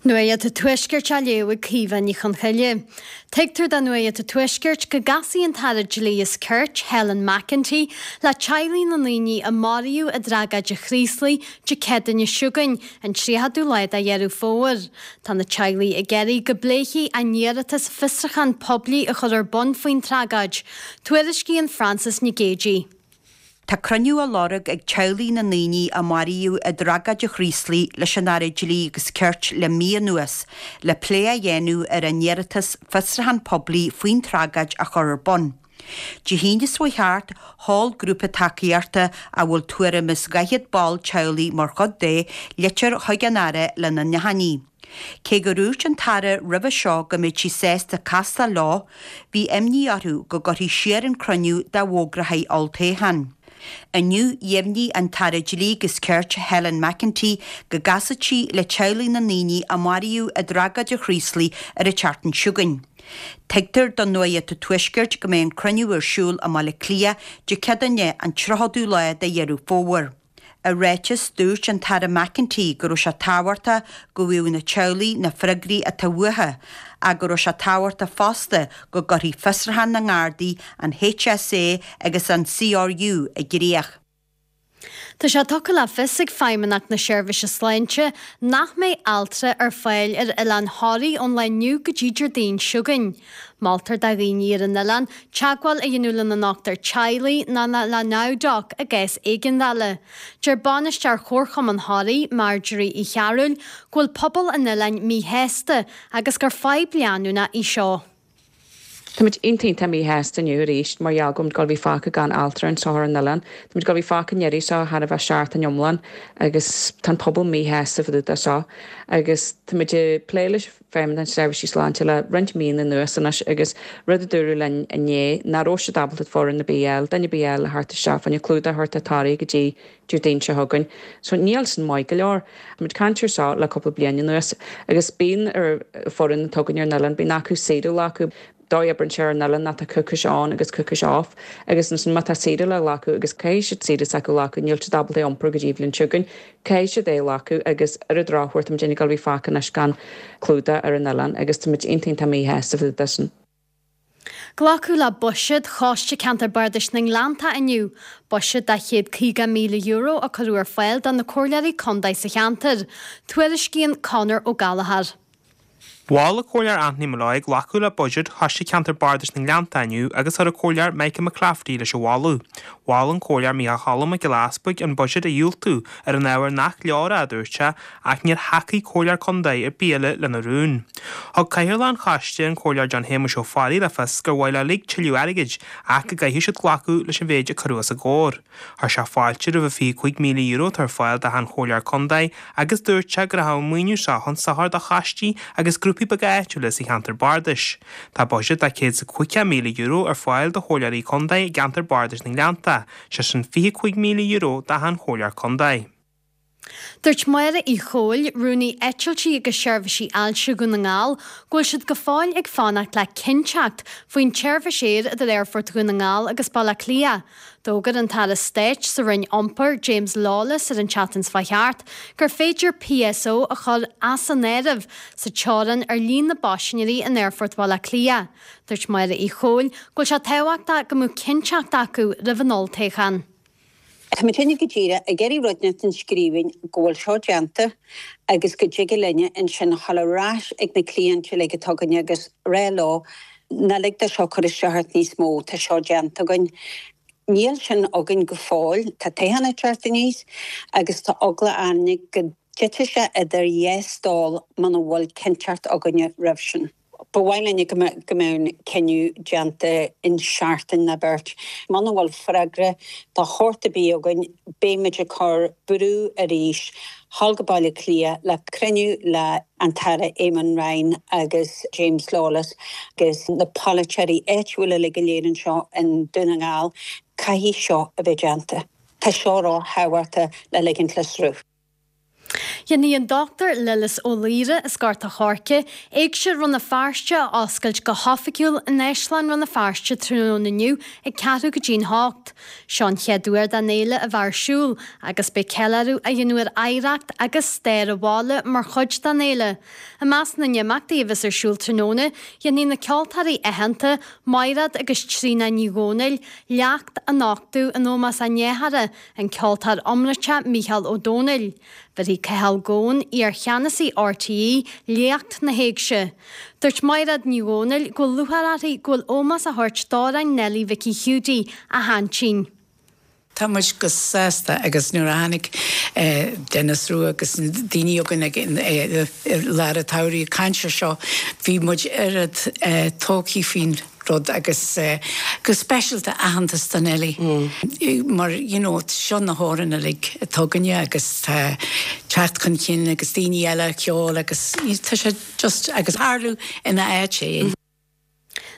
Speaker 8: Nuacht an Tuaiscirt á léamh ag Caoimhe Ní Chonchoille. Tuigtear do Nuacht an Tuaiscirt go gcasfaidh an tAire Dlí is Cirt, Helen McEntee, le teaghlaigh na ndaoine a maraíodh i dtragóid an Chraoslaigh Dé Céadaoine seo chugainn, an 30ú lá de Dheireadh Fómhair. Tá na teaghlaigh ag iarraidh go bpléifí a n-iarratas fiosrúchán poiblí a chur ar bun faoin tragóid. Tuairiscíonn Frances Nic Géadaigh.
Speaker 9: Tá cruinniú á lorg ag teaghlaigh na ndaoine a maraíodh i dtragóid an Chraoslaigh leis an Aire Dlí agus Cirt le mí anuas le plé a dhéanamh ar a n-iarratas fiosrúchán poiblí faoin tragóid a chur ar bun. Dé hAoine seo chuaigh thart, sheol grúpa tacaíochta a bhfuil tuairim is 40 ball teaghlaigh mar chuid de, litir chuig an Aire lena n-achainí. Cé gur dhúirt an tAire roimhe seo go mbeadh sí sásta castáil leo, bhí imní orthu go gcuirfí siar an cruinniú dá bhfógrófaí olltoghchán. Inniu, dheimhnigh an tAire Dlí agus Cirt Helen McEntee go gcasfaidh sí le teaghlaigh na ndaoine a maraíodh i dtragóid an Chraoslaigh ar an tseachtain seo chugainn. Tuigtear do Nuacht an Tuaiscirt go mbeidh an cruinniú ar siúl i mBaile Átha Cliath Dé Céadaoine an 30ú lá de Dheireadh Fómhair. I ráiteas, dúirt an tAire McEntee go raibh sé tábhachtach go bhfaigheadh na teaghlaigh na freagraí atá uathu ach go raibh sé tábhachtach fosta go gcuirfí fiosrúchán na nGardaí, an HSA agus an CRU i gcrích.
Speaker 8: Tá sé tugtha le fios ag Feidhmeannacht na Seirbhíse Sláinte nach mbeidh altra ar fáil ar oileán Thoraí ón lá inniu go dtí Déardaoin seo chugainn. Moltar do dhaoine ar an oileán teagmháil a dhéanamh lena ndochtúir teaghlaigh nó le NowDoc i gcás éigeandála. Deir bainisteoir Chomharchumann Thoraí, Marjorie Uí Chearúil, go bhfuil pobal an oileáin míshásta agus gur fadhb leanúnach í seo.
Speaker 10: Táimid iontach iontach míshásta inniu arís mar gheall go bhfuilimid ag dul a bheith fágtha gan altra anseo ar an oileán. Táimid ag dul a bheith fágtha i ndeireadh seo chóir a bheith seachtain iomlán agus tá an pobal míshásta fá dtaobh de seo agus táimid ag plé leis Feidhmeannacht na Seirbhísí Sláinte le roinnt míonna anuas anois agus rud a dúradh linn inné nach raibh siad ábalta foireann ar bith a fháil, duine ar bith a fháil le theacht isteach fá choinne clúdach a thabhairt do Thoraigh go dtí Déardaoin seo chugainn. So níl sin maith go leor. Táimid ag caint ar seo le cúpla bliain anuas agus bíonn ar foireann atá againn ar an oileán, bíonn acu saoire a ghlacadh. dóigh a oibreann sé ar an oileán ná tá coicís on agus coicís off agus ansin má tá saoire le glacadh agus caithfidh siad saoire s'acu a ghlacadh, níl siad ábalta é iompar go dtí bhliain seo chugainn, caithfidh siad é a ghlacadh agus ar an drochuair tá muid ag dul a bheith fágtha anois gan clúdach ar an oileán agus tá muid iontach iontach míshásta fá dtaobh de sin.
Speaker 8: Glacadh le buiséad Choiste Ceantar Bardais na nGleanntach inniu, buiséad de €150,000 a cuireadh ar fáil do na comhairleoirí contae sa cheantar. Tuairiscíonn Conor Ó Gallchóir.
Speaker 11: Mhol an Comhairleoir Anthony Molloy glacadh le buiséad Choiste Ceantar Bardais na nGleanntach inniu agus chuir an Comhairleoir Michael McClafferty leis an mholadh. Mhol an Comhairleoir Micheál Cholm Mac Giolla Easbuig an buiséad a dhiúltú ar an ábhar nach leor é, a dúirt sé, ach níor thacaigh Comhairleoir Contae ar bith eile lena rún. Thug Cathaoirleach an Choiste, an Comhairleoir John Shéamuis Ó Fearraigh le fios gur mhaith leo uilig tuilleadh airgid ach go gcaithfidh siad glacadh leis an mhéid a cuireadh os a gcomhair. Chuir sé fáilte roimh an €25,000 atá ar fáil d'achan Chomhairleoir Contae agus dúirt sé go rachadh an maoiniú seo chun sochair do choistí agus grúpaí beaga áitiúla sa cheantar bardais. Tá buiséad de €150,000 ar fáil do Chomhairleoirí Contae i gceantar bardais na nGleannta, sé sin €25,000 d'achan Chomhairleoir Contae.
Speaker 8: Dúirt Máire Uí Chomhail, Rúnaí Eitiltí agus Seirbhísí Ailse Dhún na nGall, go bhfuil siad go fóill ag fanacht le cinnteacht faoin tseirbhís aeir idir Aerfort Dhún na nGall agus Baile Átha Cliath. D'fhógair an tAire Stáit sa Roinn Iompair, James Lawless ar an tseachtain seo chuaigh thart gur féidir PSO a chur as an áireamh sa teorainn ar líon na bpaisinéirí in Aerfort Bhaile Átha Cliath. Dúirt Máire Uí Chomhail go bhfuil sé tábhachtach go mbeadh cinnteacht acu roimh an olltoghchán.
Speaker 12: Tá muidinne go díreach ag iarraidh rud inteacht i scríbhinn go bhfuil seo déanta agus go dtig linne ansin a dhul ar ais ag na cliaint uilig atá againne agus rá leo ná lig do seo cur isteach ort níos mó, tá seo déanta againn. Níl sin againn go fóill, tá toghchán ag teacht aníos agus tá eagla orainne go dtitfidh sé idir dhá stól muna bhfuil cinnteacht againne roimh sin. Ba mhaith linne go mbeadh an cinneadh déanta in seachtain nó beirt. Muna bhfuil freagra de shórt ar bith againn, beidh muid ag cur brú arís thall go Baile Átha Cliath le cruinniú le an tAire Eamon Ryan agus James Lawless agus na polaiteoirí áitiúla uilig go léir anseo i nDún na nGall. Caithfidh seo a bheith déanta. Tá seo ró-thábhachtach le ligint le sruth.
Speaker 8: Dhéanfaidh an Dr Lillis Ó Laoire as Gort a' Choirce, Éigse Rann na Feirste a oscailt go hoifigiúil in Áislann Rann na Feirste tráthnóna inniu ag ceathrú go dtí'n hocht. Seo an chéad uair don fhéile a bheith ar siúl agus beidh ceiliúradh á dhéanamh ar oidhreacht agus stair an bhaile mar chuid den fhéile. I measc na n-imeachtaí a bheas ar siúl tráthnóna, dhéanfaidh na ceoltóirí aitheanta, Maighread agus Tríona Ní Dhomhnaill, léacht a nochtadh in ómós a ndéarthára, An ceoltóir iomráiteach Mícheál Ó Domhnaill. Bhéarfaidh Cathal Goan, iar-cheannasaí RTÉ, léacht na hÉigse. Dúirt Maighread Ní Dhomhnaill go bhfuil lúcháir uirthi go bhfuil ómós á thabhairt d'amhráin Neilí Mhicí Hiúdaí, a haintín.
Speaker 13: Tá muid go sásta agus nuair a tháinig Denis Rua agus na daoine againn ag i lár an tsamhraidh ag caint ar seo bhí muid oiread tógthaí faoin rud agus go speisialta aitheantas do Neilí mar you know seo na hamhráin uilig atá againne agus tá teacht chun cinn agus daoine eile ag ceol agus tá sé just agus tharlú ina áit é.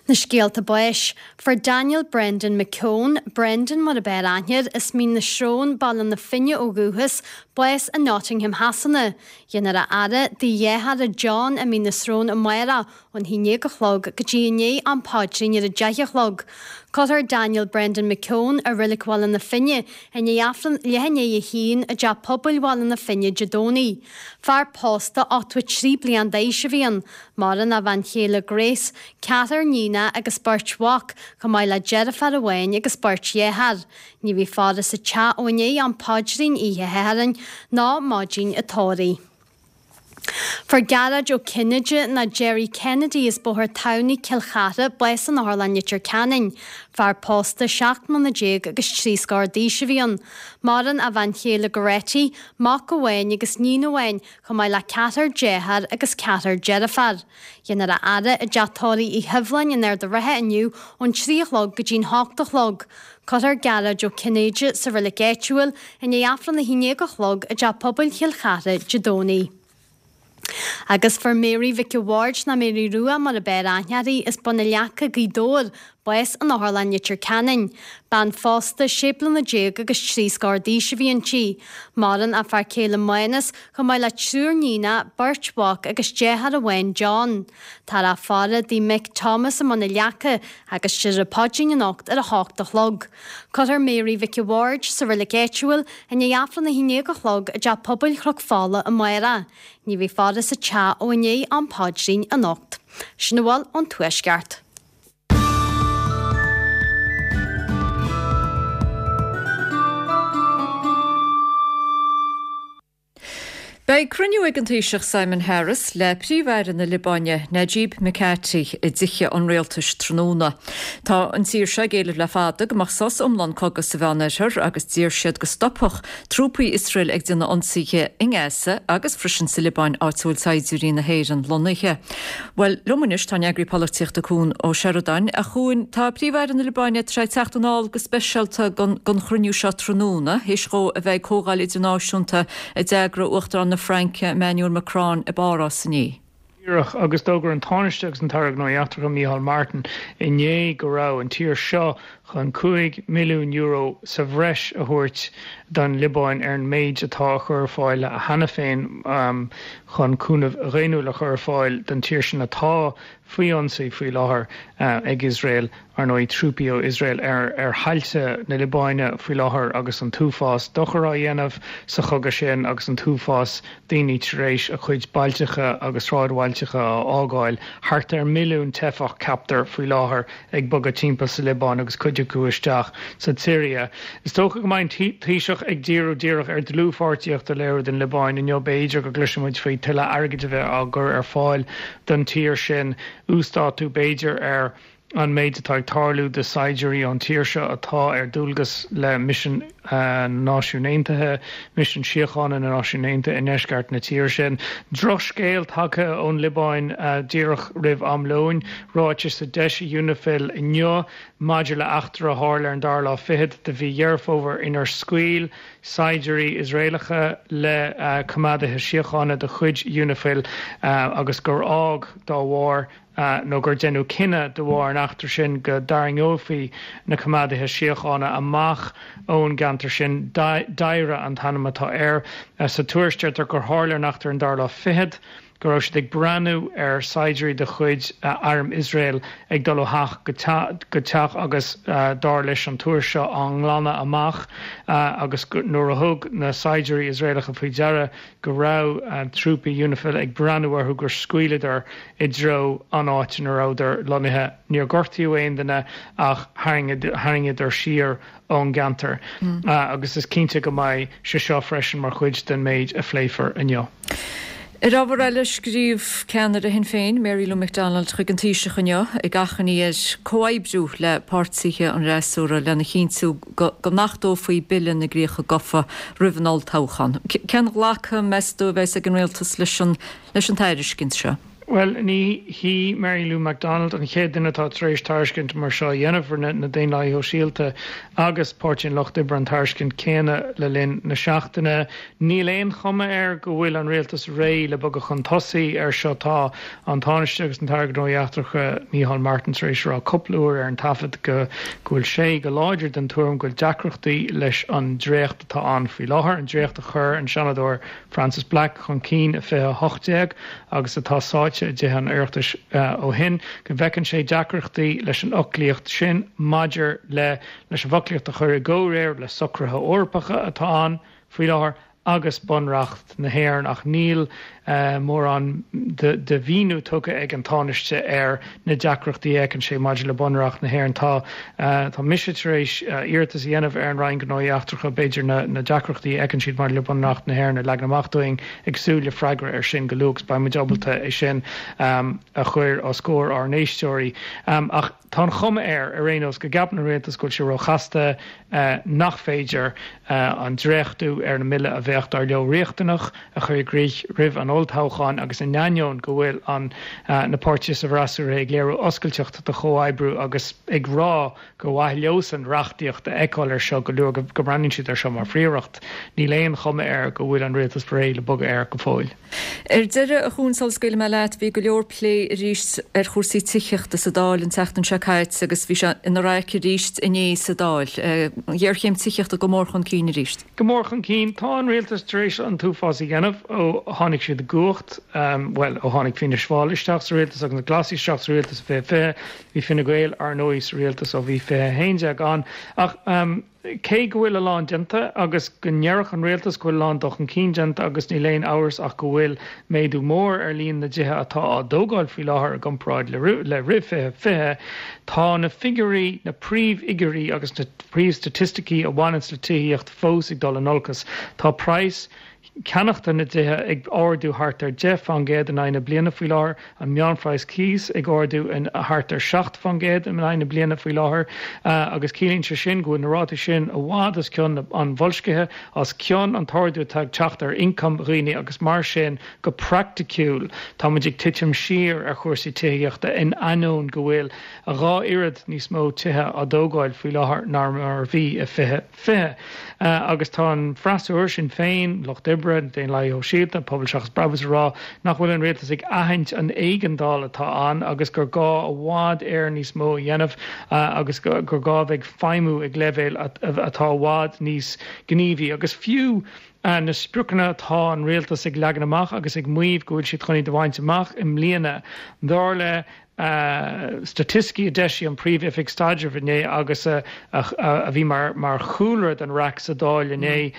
Speaker 8: Na scéalta báis. Fuair Daniel Brendan McKeown, Brendan mar ab fhearr aithne air, as Mín na Srón, Baile na Finne ó dhúchas, bás i Nottingham Shasana. Dhéanfar a fhaire dá dheartháir John i Mín na Srón amárach Ón 11 a chlog go dtí i ndiaidh am paidrín ar a 10 a chlog. Cuirfear Daniel Brendan McKeown i Reilig Bhaile na Finne i ndiaidh Aifreann leath i ndiaidh a haon i dTeach Pobail Bhaile na Finne Dé Domhnaigh. Fear pósta 83 bliain d'aois a bhí ann. Maireann a bhean chéile Grace, ceathrar níonach agus beirt mhac, chomh maith le deirfiúr amháin agus beirt dheartháir. Ní bheidh faire sa teach ó i ndiaidh am paidrín oíche Shathairn ná maidin an tórraimh. Fuair Gearóid Ó Cinnéide nó Gerry Kennedy as Bóthar Tamhnaigh, Cill Chartha, bás in Otharlann Leitir Ceanainn. Fear pósta, 17 mbliana agus trí scór d'aois a bhí ann. Maireann a bhean chéile Goretti, mac amháin agus níon amháin, chomh maith le ceathrar dearthár agus ceathrar deirfiúr. Dhéanfar a fhaire i dteach tórraimh Uí Shuibhleáin in Ard a' Rátha inniu ón 3 a chlog go dtí'n 8 a chlog. Cuirfear Gearóid Ó Cinnéide sa reilig áitiúil i ndiaidh Aifreann 11 a chlog i dTeach Pobail Chill Chartha Dé Domhnaigh. Agus fuair Mary Mhic a' Bhaird nó Mary Rua mar ab fhearr aithne uirthi as Bun na Leaca, Gaoth Dobhair, Bás in Otharlann Leitir Ceanainn. Bean phósta, sé bliana déag agus trí scór d'aois a bhí inti. Maireann a fear céile Mánas, chomh maith le triúr níonacha, beirt mhac agus deartháir amháin, John. Táthar á faire i dtigh mic Thomas i mBun an Leaca agus déarfar an paidrín anocht ar a hocht a chlog. Cuirfear Mary Mhic a' Bhaird sa reilig áitiúil i ndiaidh Aifreann 11 a chlog i dTeach Pobail Chnoc Fola amárach. Ní bheidh faire sa teach ó i ndiaidh am paidrín anocht. Sin a bhfuil ón Tuaisceart.
Speaker 1: Beidh cruinniú ag an Taoiseach Simon Harris le Príomh-Aire na Liobáine, Najib Mikati, i dTithe an Rialtais tráthnóna. Tá an tír seo ag éileamh le fada go mbeadh sos iomlán cogaidh sa Mheánoirthear agus d'iarr siad go stopfadh trúpaí Iosrael ag déanamh ionsaithe i nGaza agus freisin sa Liobáin áit a bhfuil saighdiúirí na hÉireann lonnaithe. Bhuel, liom anois tá an eagraí polaitíochta Cuan Ó Seireadáin. A Chuain, tá Príomh-Aire na Liobáine tar éis teacht anall go speisialta don chruinniú seo tráthnóna, théis dhó a bheith ag comhdháil idirnáisiúnta a d'eagraigh Uachtarán na Fraince, Emmanuel Macron, i bPáras inné.
Speaker 14: Díreach, agus d'fhógair an Tánaiste agus an tAire Gnóthaí Eachtracha, Micheál Martin, inné go raibh an tír seo chun €5 milliún sa bhreis a thabhairt don Liobáin ar an méid atá á chur ar fáil cheana féin chun cúnamh dhaonnúil a chur ar fáil don tír sin atá faoi ionsaí faoi láthair ag Iosrael. Ar ndóigh, trúpaí ó Iosrael ar thailte na Liobáine faoi láthair agus an t-uafás dochair á dhéanamh sa chogadh sin agus an t-uafás daoine tar éis a gcuid bailteacha agus sráidbhailteacha a fhágáil. Thart ar mhilliún teifeach, ceaptar, faoi láthair ag bogadh timpeall sa Liobáin agus cuid acu isteach sa tSiria. Is dócha go mbeidh an Taoiseach ag díriú díreach ar dlúthpháirtíocht a léiriú don Liobáin inniu. B'fhéidir go gcloisfidh muid faoi tuilleadh airgid a bheith á gcur ar fáil don tír sin, uasdátú b'fhéidir ar an méid atá ag tarlú do saighdiúirí ón tír seo atá ar dualgas le misean na Náisiún Aontaithe, misean síochána na Náisiún Aontaithe i ndeisceart na tíre sin. Drochscéal tagtha ón Liobáin díreach roimh am lóin. Ráiteas a d'eisigh Unifil inniu maidir le eachtra a tharla ar an dara lá fichead de mhí Dheireadh Fómhair inar scaoil saighdiúirí Iosraelacha le coimeádaithe síochána de chuid Unifil agus gur fhág dá bharr nó gur deineadh cinneadh de bharr an eachtra sin go dtarraingeofaí na coimeádaithe síochána amach ón gceantar sin. Daira an t-ainm atá air. Sa tuairisc deirtear gur tharla an eachtra ar an dara lá fichead, go raibh siad ag breathnú ar shaighdiúirí de chuid arm Iosrael ag dul ó theach go teach agus, dar leis an tuairisc seo, á nglanadh amach agus nuair a thug na saighdiúirí Iosraelacha faoi deara go raibh trúpaí Unifil ag breathnú orthu gur scaoileadar i dtreo an áit ina rabhadar lonnaithe. Níor gortaíodh aon duine ach tharraingíodar siar ón gceantar agus is cinnte go mbeidh sé seo freisin mar chuid den méid a phléifear inniu.
Speaker 1: Ar ábhar eile, scríobh ceannaire Shinn Féin, Mary Lou McDonald, chuig an Taoiseach inniu ag achainí air comhoibriú le páirtithe an fhreasúra lena chinntiú go n-achtófaí Bille na gCríocha Gofa roimh an olltoghchán. Cén ghlacadh, meas tú, a bheas ag an rialtas leis an tairiscint seo?
Speaker 14: Bhuel, ní hí Mary Lou McDonald an chéad duine atá tar éis tairiscint mar seo a dhéanamh. Rinne na Daonlathaithe Shóisialta agus Páirtí an Lucht Oibre an tairiscint céanna le linn na seachtaine. Níl aon chuma air go bhfuil an rialtas réidh le bogadh chun tosaigh air seo. Tá an Tánaiste agus an tAire Gnóthaí Eachtracha Micheál Martin tar éis a rá cúpla uair ar an taifead go bhfuil sé go láidir den tuairim go bhfuil deacrachtaí leis an dréacht atá ann faoi láthair, an dréacht a chuir an Seanadóir Frances Black chun cinn i 2018 agus atá sáite i dTithe an Oireachtais ó shin, go bhfeiceann sé deacrachtaí leis an fhoclaíocht sin maidir le leis an bhfoclaíocht a chur i gcomhréir le socruithe Eorpacha atá ann faoi láthair agus Bunreacht na hÉireann ach níl mórán de mhíniú tugtha ag an Tánaiste ar na deacrachtaí a fheiceann sé maidir le Bunreacht na hÉireann. Tá tá mise tar éis iarratas a dhéanamh ar an Roinn Gnóthaí Eachtracha, b'fhéidir na na deacrachtaí a fheiceann siad maidir le Bunreacht na hÉireann a leagan amach dúinn, ag súil le freagra air sin go luath agus beidh muid ábalta é sin a chur os comhair ár n-éisteoirí. Ach tá an chuma air, ar aon nós, go gceapann an Rialtas go bhfuil sé róchasta, nach féidir an dréachtú ar an mbille a bheadh. mbeadh, dar leo, riachtanach a chur i gcrích roimh an olltoghchán agus in ainneoin go bhfuil an na páirtithe sa bhfreasúra ag léiriú oscailteacht do chomhoibriú agus ag rá gur mhaith leosan reachtaíocht a fheiceáil ar seo go luath, go mbreathnaíonn siad air seo mar phríoracht. Níl aon chuma air go bhfuil an rialtas réidh le bogadh air go fóill.
Speaker 1: Ar deireadh, a Chuain, sula scaoilfidh mé leat, bhí go leor plé arís ar chúrsaí tithíochta sa Dáil an tseachtain seo caite agus bhí sé ina raic arís inné sa Dáil. An ghéarchéim tithíochta go mór chun cinn arís.
Speaker 14: Go mór chun cinn. Tá an rialtas tar éis an t-uafás a dhéanamh ó tháinig siad i gcumhacht, bhuel, ó tháinig Fianna Fáil isteach sa rialtas agus na Glasaigh isteach sa rialtas i 2020. Bhí Fine Gael, ar ndóigh, sa rialtas ó bhí 2011 ann. Ach cé go bhfuil a lán déanta agus go ndéarfadh an rialtas go bhfuil a lán dul chun cinn déanta agus níl aon amhras ach go bhfuil méadú mór ar líon na dtithe atá á dtógáil faoi láthair i gcomparáid le roimh 2020, tá na figiúirí, na príomhfhigiúirí agus na príomhstaitisticí a bhaineanns le tithíocht fós ag dul in olcas. Tá praghas ceannachta na dtithe ag ardú thart ar 10 fán gcéad in aghaidh na bliana faoi láthair, an meánphraghas cíos ag ardú thart ar 7 fán gcéad in aghaidh na bliana faoi láthair agus ciallaíonn sé sin go bhfuil na rátaí sin i bhfad os cionn an bhoilscithe, os cionn an t-ardú atá ag teacht ar ioncam dhaoine agus mar sin go praiticiúil tá muid ag titim siar ar chúrsaí tithíochta in ainneoin go bhfuil a dhá oiread níos mó tithe á dtógáil faoi láthair ná mar a bhí i 2020. Agus tá an freasúra, Sinn Féin, Lucht Oibre, na Daonlathaithe Shóisialta, Pobal Seachas Brabús ag rá nach bhfuil an rialtas ag aithint an éigeandáil atá ann agus gur gá i bhfad Éireann níos mó a dhéanamh agus gur gá a bheith ag feidhmiú ag leibhéal atá i bhfad níos gníomhaí. Agus fiú na spriocanna atá an rialtas ag leagan amach agus ag maíomh go bhfuil siad chun iad a bhaint amach i mbliana, dar le Staitisticí a d'eisigh an Phríomh-Oifig Staidrimh inné agus a bhí mar chúlra don raic sa Dáil inné,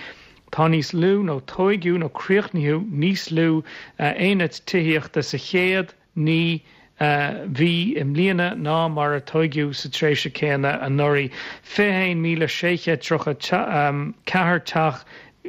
Speaker 14: tá níos lú, nó tóigeadh nó críochnaíodh níos lú aonad tithíochta sa chéad 9 mhí i mbliana ná mar a tóigeadh sa tréimhse céanna anuraidh. 21,634 teach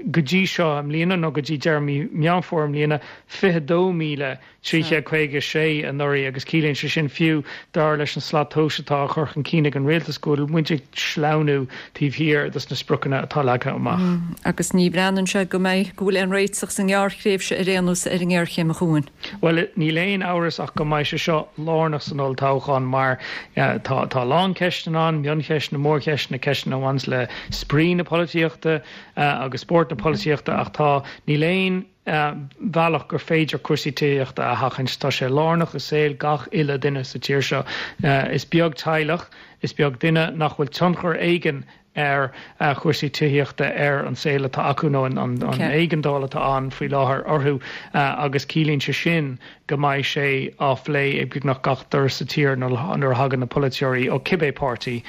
Speaker 14: go dtí seo i mbliana, nó go dtí deireadh mí Meán Fómhair i mbliana, 22,000. 356 anuraidh agus ciallaíonn sé sin fiú, dar leis an slat tomhais atá á chur chun cinn ag an rialtas, go bhfuil muid ag sleamhnú taobh thiar dos na spriocanna atá leagtha amach.
Speaker 1: Agus ní bhreathnaíonn sé go mbeidh, go bhfuil aon réiteach sa ngearrthréimhse ar aon nós ar an ngéarchéim a Chuain.
Speaker 14: Bhuel, níl aon amhras ach go mbeidh sé seo lárnach san olltoghchán mar tá tá a lán ceisteanna ann, mioncheisteanna, mórcheisteanna, ceisteanna a bhaineanns le spraoi na polaitíochta agus spórt na polaitíochta ach tá, níl aon bhealach gur féidir cúrsaí tithíochta a sheachaint. Tá sé lárnach i saol gach uile duine sa tír seo. Is beag teaghlach, is beag duine nach bhfuil tionchar éigin ar chúrsaí tithíochta ar an saol atá acu nó an éigeandáil atá ann faoi láthair orthu agus ciallaíonn sé sin go mbeidh sé á phlé ag beagnach gach doras sa tír nuair a thagann na polaiteoirí ó cibé páirtí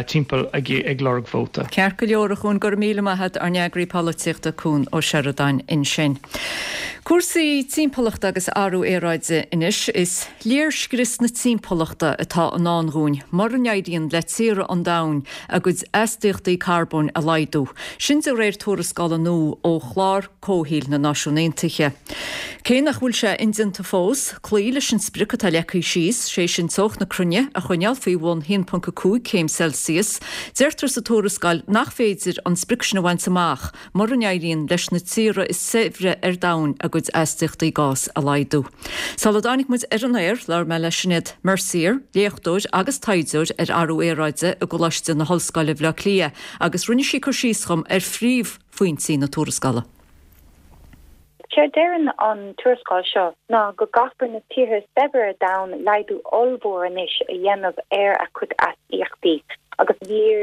Speaker 14: timpeall ag lorg vóta.
Speaker 1: Ceart go leor, a Chuain, go raibh míle maith a't, ár n-eagraí polaitíochta Cuan Ó Seireadáin ansin. Cúrsaí timpeallachta agus athrú aeráide anois. Is léirscrios na timpeallachta atá i ndán dhúinn mura n-éiríonn le tíortha an domhain a gcuid astaíochtaí carbóin a laghdú. Sin de réir tuarascála nua ó Chlár Comhshaoil na Náisiún Aontaithe. Cé nach bhfuil sé indéanta fós cloí leis an sprioc atá leagtha síos, sé sin teocht na cruinne a choinneáil faoi bhun 1.5 céim Celsius, deirtear sa tuarascáil nach féidir an sprioc sin a bhaint amach mura n-éiríonn leis na tíortha is saibhre ar domhan a gcuid astaíochtaí gás a laghdú. Sula dtáinig muid ar an aer, labhair mé le Sinéad Mercier, léachtóir agus taighdeoir ar athrú aeráide i gColáiste na hOllscoile Bhaile Átha Cliath agus rinne sí cur síos dhom ar phríomh phointí na tuarascála.
Speaker 15: Séard deireann an tuarascáil seo ná go gcaithfear na tíortha is saibhre ar domhan laghdú ollmhór anois a dhéanamh ar a gcuid astaíochtaí agus níor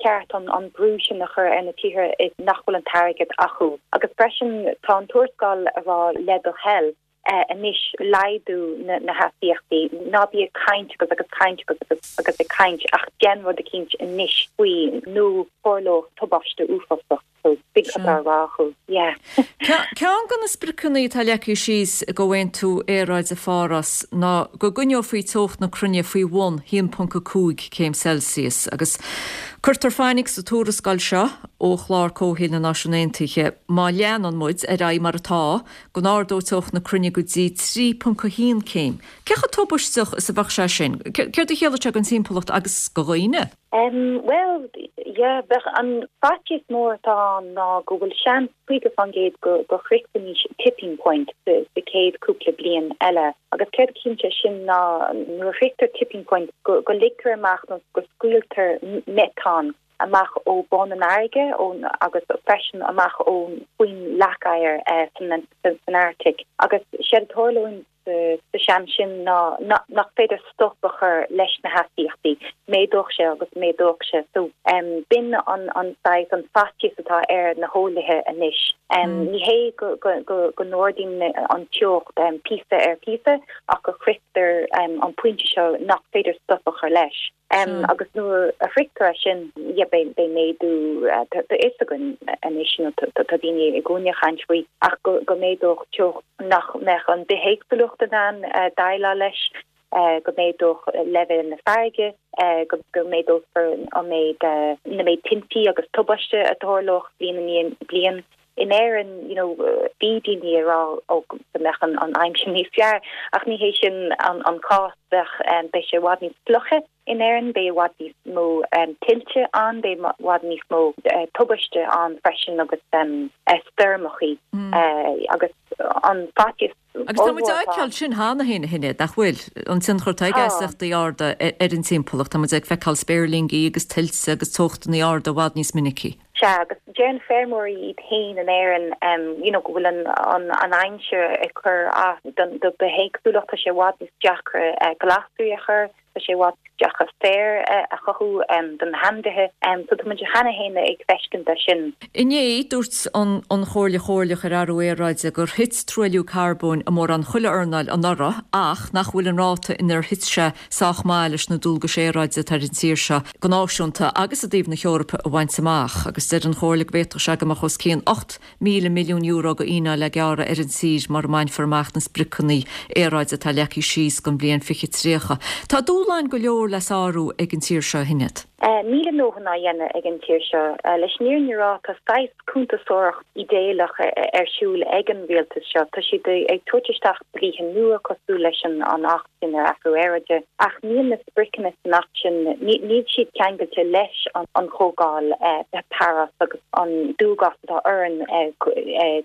Speaker 15: cheart an brú sin a chur ar na tíortha nach bhfuil an t-airgead acu. Agus freisin tá an tuarascáil a rá le do thoil anois laghdú na hastaíochtaí, ná bí ag caint agus agus caint agus agus agus ag caint ach déan rud eicínt anois faoi nó tarlóidh tubaiste uafásach. So big cad á rá acu. Yeah.
Speaker 1: Ceann de na spriocanna atá leagtha síos i gComhaontú Aeráide Pháras ná go gcoinneofaí teocht na cruinne faoi bhun 1.5 céim Celsius agus. Cuirtear fainic sa tuarascáil seo ó Chlár Comhshaoil na Náisiún Aontaithe má leanann muid ar aghaidh mar atá, go n-ardóidh teocht na cruinne go dtí 3.1 céim. Cé chomh tubaisteach is a bheadh sé sin? Céard a chiallódh sé don timpeallacht agus do dhaoine?
Speaker 15: Bhuel, yeah, bheadh an faitíos mór atá ann ná go bhfuil seans 50% go go shroichfimis tipping point sa sa chéad cúpla bliain eile. Agus céard a chiallaíonn sé sin ná nuair a shroichtear tipping point go go ligtear amach nó go scaoiltear meatán amach ó bun an fharraige ón agus freisin amach ón faoin leac oighir san san Arctic. Agus séard a tharlóidh sa seans sin ná nach féidir stop a chur leis na hastaíochtaí, méadódh sé agus méadódh sé. So b'in an saghas, an faitíos atá ar na heolaithe anois. Ní hé go n-ardaíonn an teocht píosa ar phíosa ach go shroichtear an pointe seo nach féidir stop a chur leis. Agus nuair a shroichtear é sin, yeah, beidh méadú, tá fhios againn anois, you know, tá daoine i gcónaí ag caint faoi, ach go méadódh teocht nach mbeadh an bithéagsúlacht in ann déileáil leis, go méadódh leibhéal na farraige, go méadófar an méid, na méid tintí agus tubaiste a tharlódh bliain i ndiaidh bliain. In Éirinn, you know, bhí daoine ag rá ó go mbeadh an aimsir níos fearr, ach ní hé sin an cás. Bheadh, beidh sé i bhfad níos fliuche in Éirinn, beidh i bhfad níos mó tuilte ann, beidh i bhfad níos mó tubaiste ann freisin agus stoirmeachaí agus an faitíos
Speaker 1: Agus tá muid á fheiceáil sin cheana féin, a Shinéad, nach bhfuil? An tionchar atá ag astaíochtaí arda ar an timpeallacht. Tá muid ag feiceáil spéirlingí agus tuilte agus teochtanna arda i bhfad níos minicí.
Speaker 15: Sea, agus deireann feirmeoirí iad féin in Éirinn you know go bhfuil an an aimsir ag cur as don do bithéagsúlacht, tá sé i bhfad níos deacra glasraí a chur, tá sé i bhfad níos deacra féar a chothú do na hainmhithe. So tá muid cheana féin ag feiscint é sin.
Speaker 1: Inné, dúirt an an Chomhairle Chomhairleach ar Athrú Aeráide gur thit truailliú carbóin i mórán chuile earnáil anuraidh ach nach bhfuil an ráta inar thit sé sách maith leis na dualgais aeráide atá ar an tír seo go náisiúnta agus i dtaobh na hEorpa a bhaint amach agus deir an Chomhairle go bhféadfadh sé go mbeadh os cionn €8,000 milliún go fhíneáil le gearradh ar an tír mura mbainfear amach na spriocanna aeráide atá leagtha síos don bhliain 2030. Tá dúshláin go leor le sárú ag an tír seo, a Shinéad.
Speaker 15: Níl a ndóthain á dhéanamh ag an tír seo. Leis an fhírinne a rá, tá saghas cuntasóireacht ídéalach ar siúl ag an rialtas seo. Tá siad ag tabhairt isteach dlíthe nua cosúil leis an Acht sin ar Athrú Aeráide, ach níl na spriocanna san Acht sin, níl siad ceangailte leis an Chomhdháil Páras agus an dualgas atá orainn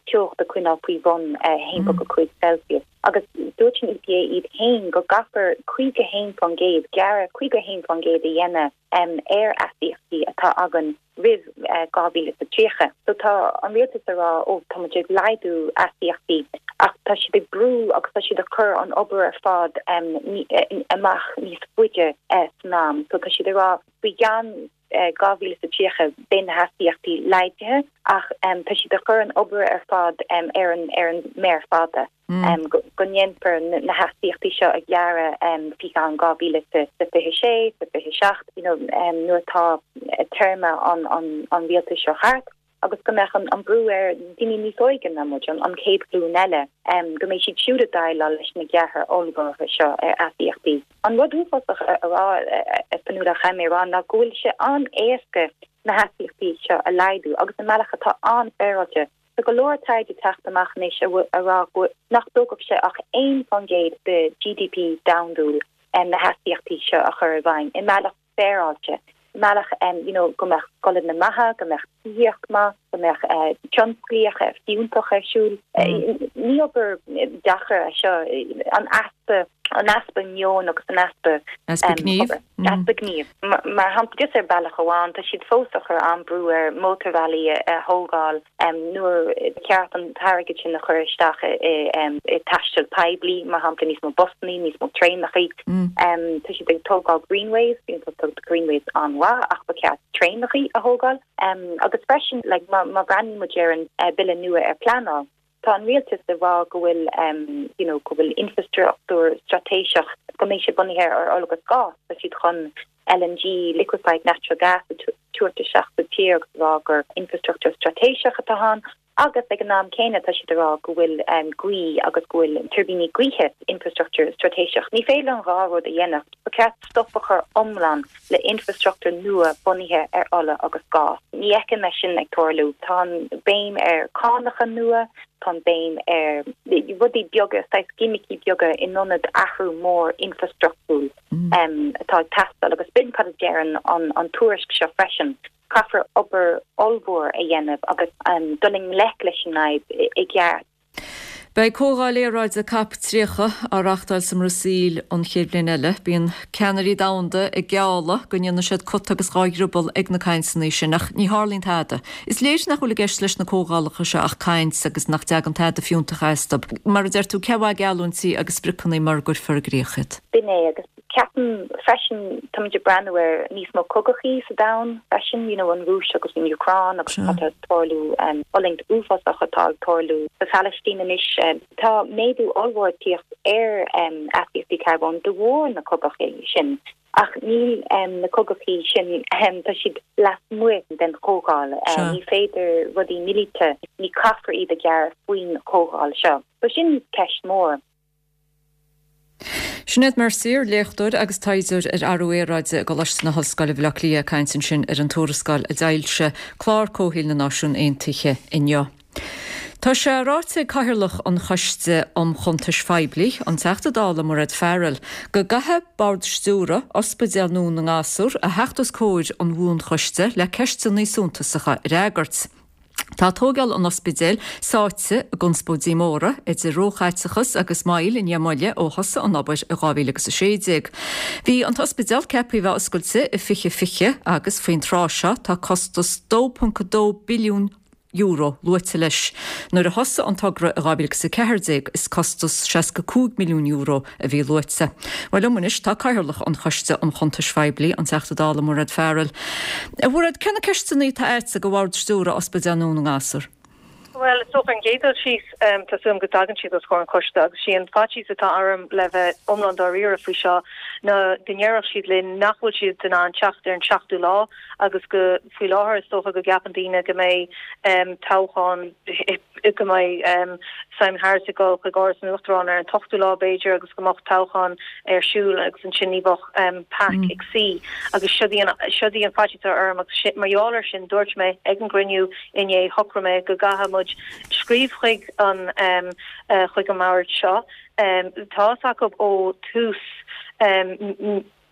Speaker 15: teocht a choinneáil faoi bhun 1.5 Celsius. Agus dúirt an EPA iad féin go gcaithfear 51%, gearradh 51% a dhéanamh ar astaíochtaí atá againn roimh 2030. So tá an rialtas ag rá, ó tá muid ag laghdú astaíochtaí ach tá siad ag brú agus tá siad ag cur an obair ar fad amach níos faide san am. So tá siad ag rá faoi cheann 2030 beidh na hastaíochtaí laghdaithe ach tá siad ag cur an obair ar fad ar an ar an méar fada go ndéanfar na hastaíochtaí seo a ghearradh faoi cheann 2026, 27, you know nuair atá téarma an an rialtais seo thart agus go mbeadh an brú ar daoine níos óige ná muid, an chéad ghlúin eile, go mbeidh siad siúd ag déileáil leis na gearrtha ollmhóra seo ar astaíochtaí. An rud uafásach a rá, a Fionnuala, chaithfidh mé a rá, ná go bhfuil sé an-éasca na hastaíochtaí seo a laghdú agus i mbealach atá an-fhéaráilte. Tá go leor taighde ag teacht amach anois a rá go nach dtógfadh sé ach 1% de GDP domhandúil na hastaíochtaí seo a chur i bhfeidhm i mbealach féaráilte, i mbealach you know go mbeadh scoileanna maithe, go mbeadh tithíocht maith, go mbeadh tionsclaíocht fiúntach ar siúl. Ní obair deacair é seo, an easpa, an easpa meoin agus an easpa
Speaker 1: Easpa gnímh.
Speaker 15: Easpa gnímh. Mar shampla, just ar bealach amháin, tá siad fós ag cur an-brú ar mótarbhealaí a thógáil nuair ba cheart an t-airgead sin a chur isteach i taisteal poiblí, mar shampla, níos mó busannaí, níos mó traenachaí. Tá siad ag tógáil greenways, tá greenways an-mhaith ach ba cheart traenachaí a thógáil. Agus freisin, like, má bhreathnaíonn muid ar an bille nua ar pleanáil, tá an rialtas ag rá go bhfuil, you know, go bhfuil infrastruchtúr straitéiseach, go mbeidh sé bunaithe ar ola agus gás, tá siad chun LNG, liquefied natural gas, a tabhairt isteach sa tír agus rá gur infrastruchtúr straitéiseach atá ann. Agus ag an am céanna tá siad ag rá go bhfuil gaoth agus go bhfuil tuirbíní gaoithe, infrastructúr straitéiseach. Ní féidir an dhá rud a dhéanamh. Ba cheart stop a chur iomlán le infrastruchtúr nua bunaithe ar ola agus gás. Ní fheicim é sin ag tarlú. Tá an béim ar cánacha nua, tá an béim ar rudaí beaga, saghas gimicí beaga in ionad athrú mór infrastruchtúil atá ag teastáil agus b'in cad a deireann an tuairisc seo freisin. Caithfear obair ollmhór a dhéanamh agus dul i ngleic leis an fhadhb i gceart.
Speaker 1: Beidh Comhdháil Aeráide Cop 30 á reáchtáil sa mBrasaíl an chéad bhliain eile. Bíonn ceannairí domhanda ag gealladh go ndéanfaidh siad cut agus dhá dhrioball ag na cainteanna sin, ach ní tharlaíonn tada. Is léir nach bhfuil i gceist leis na comhdhálacha seo ach caint agus nach dtagann tada fiúntach astu. Mar a deir tú, cé mhaith geallúintí agus spriocanna mura gcuirfear i gcrích iad?
Speaker 15: B'in é, agus Ceapaim freisin, táimid ag breathnú ar níos mó cogachaí sa domhan freisin, you know an Rúis agus an Úcráin agus cad tá ag tarlú, fulaingt uafásach atá ag tarlú sa Phalaistín anois. Tá méadú ollmhór ag tíocht ar astaíochtaí carbóin de bharr na cogachaí sin ach níl na cogachaí sin, tá siad lasmuigh den chomhdháil. Ní féidir rudaí míleata, ní caithfear iad a ghearradh faoin chomhdháil seo. So sin ceist mór.
Speaker 1: Sinéad Mercier, léachtóir agus taighdeoir ar athrú aeráide i gColáiste na hOllscoile Bhaile Átha Cliath ag caint ansin ar an tuarascáil a d'fhoilsigh Clár Comhshaoil na Náisiún Aontaithe inniu. Tá sé ráite ag Cathaoirleach an Choiste um Chuntais Phoiblí, an Teachta Dála Mairéad Farrell, go gcaithfidh Bord Stiúrtha Ospidéal Dhún na nGasúr a theacht os comhair an Bhuanchoiste le ceisteanna suntasacha a fhreagairt. Tá tógáil an ospidéil sáite i gconspóidí móra, idir róchaiteachas agus moill i ndiaidh moille ó thosaigh an obair i 2016. Bhí an t-ospidéal ceaptha a bheith oscailte i 2020 agus faoin tráth seo tá costas €2.2 billiún luaite leis. Nuair a thosaigh an togra i 2014 is costas €65 milliún a bhí luaite. Bhuel liom anois tá Cathaoirleach an Choiste um Chuntais Phoiblí, an Teachta Dála Mairéad Farrell. A Mhairéad, cé na ceisteanna atá agatsa do Bhord Stiúrtha Ospidéal Dhún na nGasúr?
Speaker 16: Bhuel, is dócha an gcéad dul síos, tá súil agam go dtagann siad os comhair an choiste agus sí an faitíos atá orm le bheith iomlán dáiríre faoi seo ná go ndéarfadh siad linn nach bhfuil siad in ann teacht ar an seachtú lá agus go faoi láthair is dócha go gceapann daoine go mbeidh toghchán go mbeidh Simon Harris ag dul chuig Áras an Uachtaráin ar an t-ochtú lá b'fhéidir agus go mbeadh toghchán ar siúl agus ansin ní bheadh PAC ag suí agus siod í an siod í an faitíos atá orm agus mar gheall air sin dúirt mé ag an gcruinniú inné shocraigh mé go gcaithfidh muid scríobh chuig an chuig an mbord seo tá fhios acu ó tús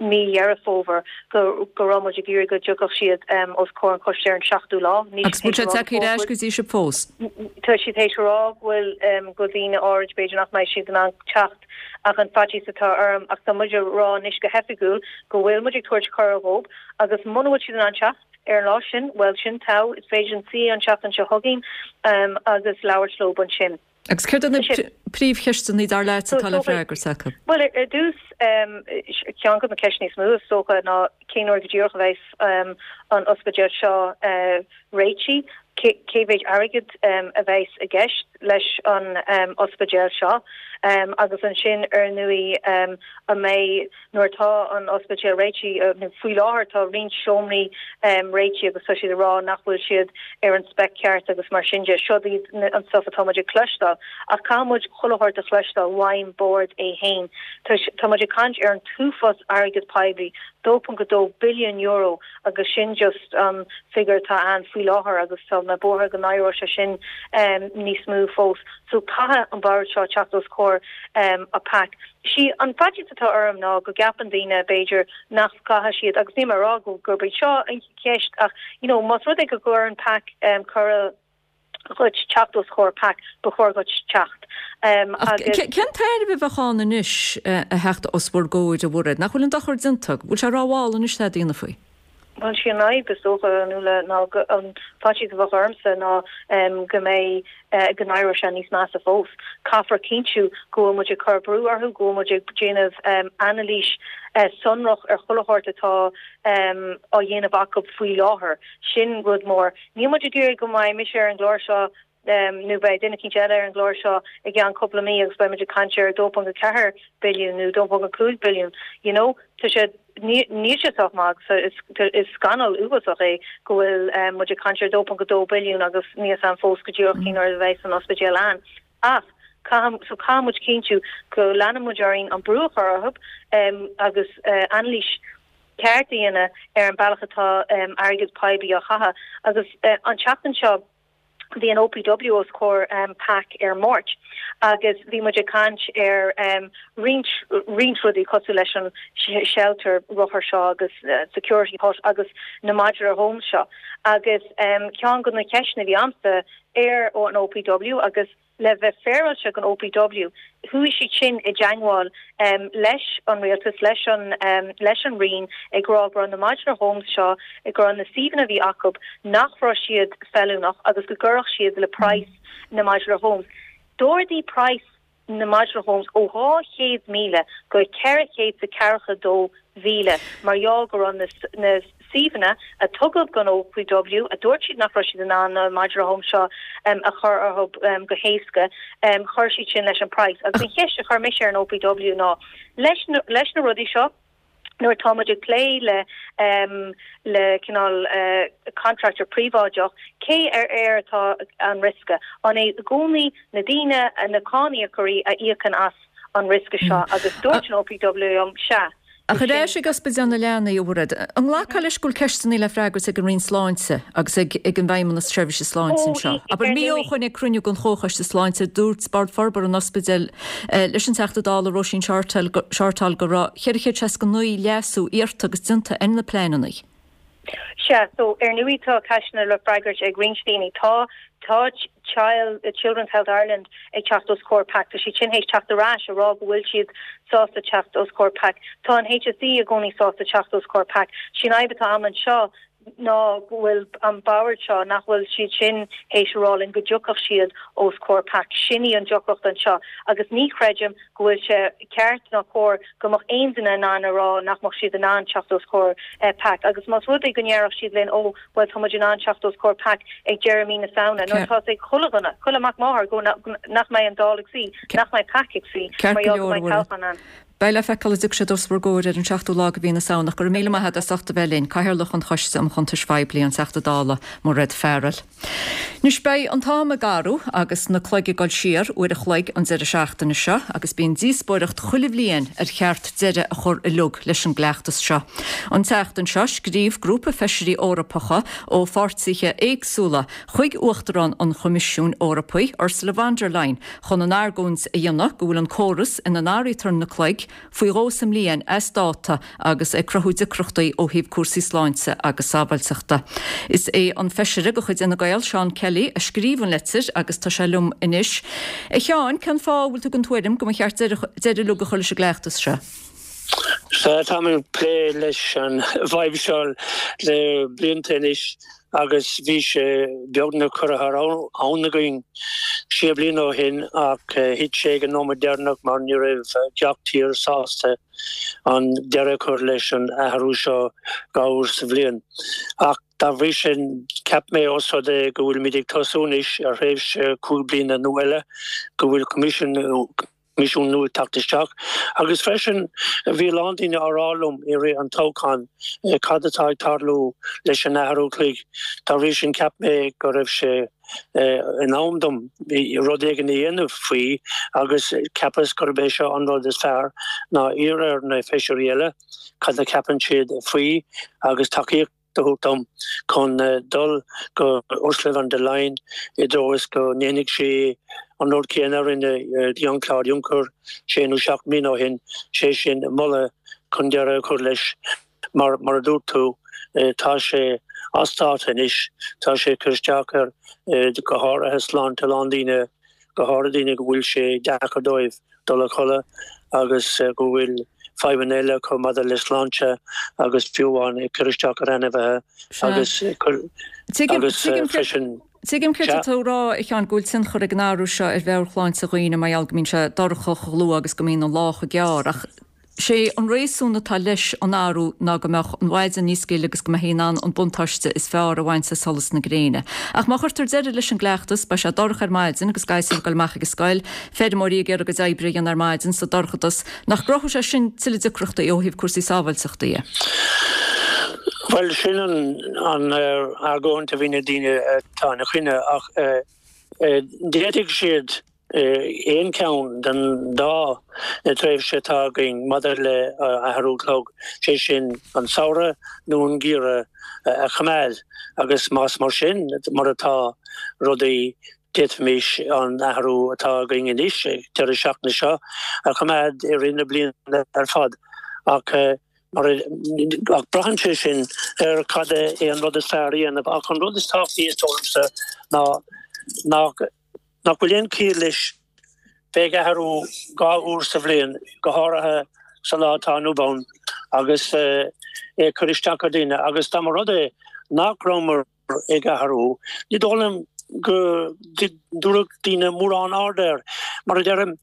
Speaker 16: mí Dheireadh Fómhair go go raibh muid ag iarraidh go dtiocfadh siad os comhair an choiste ar an seachtú lá.
Speaker 1: Níl Agus siad bhfuil théis sé a rá go tagtha ar ais go dtí sibh fós?
Speaker 16: Tá siad théis a rá go bhfuil go bhfuil daoine áirid b'fhéidir nach mbeidh siad in ann teacht ach an faitíos atá orm ach tá muid a rá anois go hoifigiúil go bhfuil muid ag tabhairt cuireadh dhóibh agus muna bhfuil siad in ann teacht ar an lá sin, bhuel sin togha, is féidir linn suí an tseachtain seo chugainn agus labhairt leo ansin.
Speaker 1: Agus céard iad na príomhcheisteanna, dar leat, atá le freagairt acu?
Speaker 16: Bhuel, ar dtús, ceann de na ceisteanna is mó, is dócha, ná cén uair go díreach a bheas an ospidéal seo réitithe, cé mhéid airgid a bheas i gceist leis an ospidéal seo agus ansin, ar ndóigh, an mbeidh Nuair atá an ospidéal réitithe, nó faoi láthair tá roinnt seomraí réitithe agus tá siad ag rá nach bhfuil siad ar an spec ceart agus mar sin de. Siod iad an stuff atá muid ag cloisteáil. Ach caithfidh muid chuile shórt a chloisteáil uaim bord é fhéin. Tá muid ag caint ar an t-uafás airgead poiblí, €2.2 billiún agus sin just an figure atá ann faoi láthair agus tá mé buartha go n-éireoidh sé sin níos mó fós. So caithfidh an bord seo teacht os comhair PAC. Sí an faitíos atá orm ná go gceapann daoine, b'fhéidir, nach gcaithfidh siad, agus níl mé ag rá gurb í seo an cheist ach, you know, más rud é go gcuireann PAC cuireadh dhuit teacht os comhair PAC, ba chóir dhuit teacht.
Speaker 1: Ach cén tairbhe a bheadh ann anois a theacht os bhur gcomhair, a Mhairéad? Nach bhfuil an dochar déanta? Bhfuil sé rómhall anois tada a dhéanamh faoi?
Speaker 16: Bhuel, sí an fhadhb, is dócha, a Nuala, ná an faitíos a bheadh ormsa ná go mbeidh, go n-éireoidh sé níos measa fós. Caithfear cinntiú go bhfuil muid ag cur brú orthu, go bhfuil muid ag déanamh anailís sonrach ar chuile shórt atá á dhéanamh acu faoi láthair. Sin rud mór. Níl muid ag iarraidh go mbeidh mise ar an gclár seo nó beidh duine eicínt eile ar an gclár seo i gceann cúpla mí agus beidh muid ag caint ar 2.4 billiún nó 2.5 billiún. You know, tá sé. Níl sé sách maith agus is scannal uafásach é go bhfuil muid ag caint ar 2.2 billiún agus níl 'fhios a'm fós go díreach cén uair a bheas an ospidéal ann. Ach caithfidh, so caithfidh muid cinntiú go leanann muid orainn an brú a chur orthu agus anailís ceart a dhéanamh ar an bealach atá airgead poiblí á chaitheamh. Agus an tseachtain seo, Bhí an OPW os comhair pac ar Máirt agus bhí muid ag caint ar roinnt roinnt rudaí cosúil leis an shelter rothar seo agus security hut agus na modular homes seo agus ceann de na ceisteanna a bhí a'msa ar an OPW agus Le bheith féaráilte don OPW, chuaigh siad sin i dteangmháil leis an rialtas, leis an leis an Roinn ag rá go raibh na modular homes seo, go raibh na suíomhanna a bhí acu, nach raibh siad feiliúnach agus go gcuirfeadh siad le praghas na modular homes. D'ardaigh praghas na modular homes ó 200,000 go 442,000 mar gheall go raibh na suíomhanna a tugadh don OPW, a dúirt siad nach raibh siad in ann na modular homes seo a chur orthu go héasca, chuir siad sin leis an praghas. Agus an cheist a chuir mise ar an OPW ná, leis leis na rudaí seo, nuair atá muid ag plé le le cineál contractor príobháideach, cé ar air atá an riosca? An é i gcónaí na daoine, na cáiníocóirí a íocann as an riosca seo? Agus dúirt an OPW liom, sea.
Speaker 1: Ach ar ais ag Ospidéal na Leanaí, a Mhairéad, an nglacfá leis go bhfuil ceisteanna le freagairt ag an Roinn Sláinte agus ag ag an bhFeidhmeannas Seirbhíse Sláinte anseo? Abair, mí ó shoin ag cruinniú den Chomhchoiste Sláinte, dúirt Bord Forbartha an Ospidéil leis an Teachta Dála Róisín Shortall go raibh 469 leasú iarrta agus déanta ar na pleananna.
Speaker 16: Sea, so ar ndóigh tá ceisteanna le freagairt ag roinnt daoine. Tá, tá Child, Children's Health Ireland ag teacht os comhair pac. Tá siad sin théis teacht ar ais a rá go bhfuil siad sásta teacht os comhair pac. Tá an HSE i gcónaí sásta teacht os comhair pac. Sí an fhadhb atá a'm anseo ná go bhfuil an bord seo, nach bhfuil siad sin théis a rá linn go dtiocfadh siad os comhair pac. Sin í an deacracht anseo agus ní chreidim go bhfuil sé ceart ná cóir go mbeadh aon duine in ann a rá nach mbeadh siad in ann teacht os comhair pac. Agus más rud é go ndéarfadh siad linn ó, bhuel tá muid in ann teacht os comhair pac ag deireadh mí na Samhna, nuair atá fhios ag chuile dhuine, chuile mac máthar go nach mbeidh an Dáil ag suí, nach mbeidh pac ag suí mar gheall go mbeidh toghchán ann.
Speaker 1: Beidh le feiceáil an dtiocfaidh siad os bhur gcomhair ar an seachtú lá de mhí na Samhna. Go raibh míle maith agat as ucht a bheith linn, Cathaoirleach an Choiste um Chuntais Phoiblí, an Teachta Dála Mairéad Farrell. Anois beidh an t-am ag athrú agus na cloig ag dul siar uair a chloig an deireadh seachtaine seo agus bíonn díospóireacht chuile bhliain ar cheart deireadh a chur uilig leis an gcleachtas seo. An tseachtain seo scríobh grúpa feisirí Eorpacha ó pháirtithe éagsúla chuig Uachtarán an Choimisiúin Eorpaigh, Ursula von der Leyen, chun an argóint a dhéanamh go bhfuil an córas ina n-athraítear na cloig faoi dhó sa mbliain as dáta agus ag cruthú deacrachtaí ó thaobh cúrsaí sláinte agus sábháilteachta. Is é an feisire de chuid Fhine Gael, Seán Kelly, a scríobh an litir agus tá sé liom anois. A Sheáin, cén fáth a bhfuil tú den tuairim go mba cheart deireadh uilig a chur leis an gcleachtas seo?
Speaker 17: Sea, táim ag plé leis an bhfadhb seo le blianta anois agus bhí sé beagnach curtha thar abhainn againn sé bliana ó shin ach thit sé ag an nóiméad deireanach mar ní raibh gach tír sásta an deireadh a chur leis an athrú seo dhá uair sa bhliain. Ach dá bhrí sin, cheap mé os rud é go bhfuilimid ag tosú anois ar thréimhse chúig bliana nua eile, go bhfuil Coimisiún Coimisiún nua ag teacht isteach. Agus freisin, bhí a lán daoine á rá liom i rith an toghcháin cad atá ag tarlú leis an athrú cloig. Dá bhrí sin, cheap mé go raibh sé in am dom rud éigin a dhéanamh faoi agus cheapas gurb é seo an rud is fearr ná iarraidh ar na feisirí eile cad a cheapann siad faoi agus tacaíocht a thabhairt dom chun dul go Ursula von der Leyen i dtreo is go ndéanfaidh sí an rud céanna a rinne Jean-Claude Juncker sé nó seacht mbliana ó shin, sé sin moladh chun deireadh a chur leis. Mar, mar a dúirt tú, tá sé as dáta anois, tá sé ag cur isteach ar, go háirithe, sláinte a lán daoine, go háirithe daoine go bhfuil sé deacair dóibh dul a chodladh agus go bhfuil fadhbanna eile acu maidir le sláinte agus fiú amháin ag cur isteach ar ainmhithe agus agus freisin.
Speaker 1: Tuigim céard atá tú a rá, a Sheáin, go bhfuil tionchar ag an athrú seo ar mheabhairshláinte dhaoine mar gheall go mbíonn sé dorcha chomh luath agus go mbíonn an lá chomh gearr, ach. Sé an réasún atá leis an athrú ná go mbeadh an mhaidin níos gile agus go mbeifí in ann an buntáiste is fearr a bhaint as solas na gréine. Ach má chuirtear deireadh leis an gcleachtas, beidh sé dorcha ar maidin agus gasúir ag dul amach ag an scoil, feirmeoirí ag iarraidh a gcuid oibre a dhéanamh ar maidin sa dorchadas. Nach gcruthódh sé sin tuilleadh deacrachtaí ó thaobh cúrsaí sábháilteachta dhe?
Speaker 17: Bhuel, sin an argóint a bhíonn ag daoine atá ina choinne ach d'fhéadfadh siad aon cheann den dá tréimhse atá againn maidir le athrú clog, sé sin an samhradh nó an geimhreadh, a choimeád agus más mar sin mar atá rudaí, d'fhéadfaimis an athrú atá againn anois ag deireadh seachtaine seo a choimeád i rith na bliana ar fad. Ach mar ach braitheann sé sin ar cad é an rud is fearr a dhéanamh. Ach an rud is tábhachtaí is dóigh liomsa ná nach nach bhfuil aon chiall leis bheith ag athrú 2 uair sa bhliain, go háirithe sa lá atá inniu ann, agus é ag cur isteach ar dhaoine. Agus dá mba rud é nach rabhamar ag athrú, ní dóigh liom go dtabharfadh daoine mórán aird air. Mar a deirim,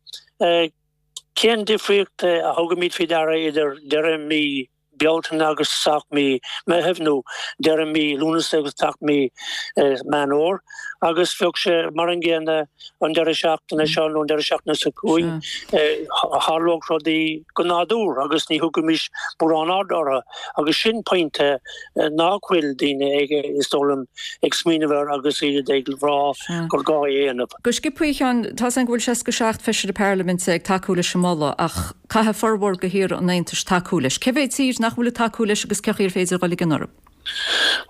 Speaker 17: cén difríocht a thugaimid faoi deara idir deireadh mí Bealtaine agus tosach mí Meitheamh nó deireadh mí Lúnasa agus tosach mí Meán Fhómhair agus bheadh sé mar an gcéanna an deireadh seachtaine seo nó an deireadh seachtaine seo chugainn. Tharlódh rudaí go nádúrtha agus ní thugaimís mórán aird orthu agus sin pointe nach bhfuil daoine ag, is dóigh liom, ag smaoineamh air agus iad ag rá gur gá é a dhéanamh.
Speaker 1: Go sciobtha, a Sheáin, tá's againn go bhfuil 67 feisire parlaiminte ag tacú leis an moladh ach caithfidh formhór de thíortha an Aontais tacú leis. Cé mhéad tír nach bhfuil ag tacú leis agus cén chaoi ar féidir dhul i gcion orthu?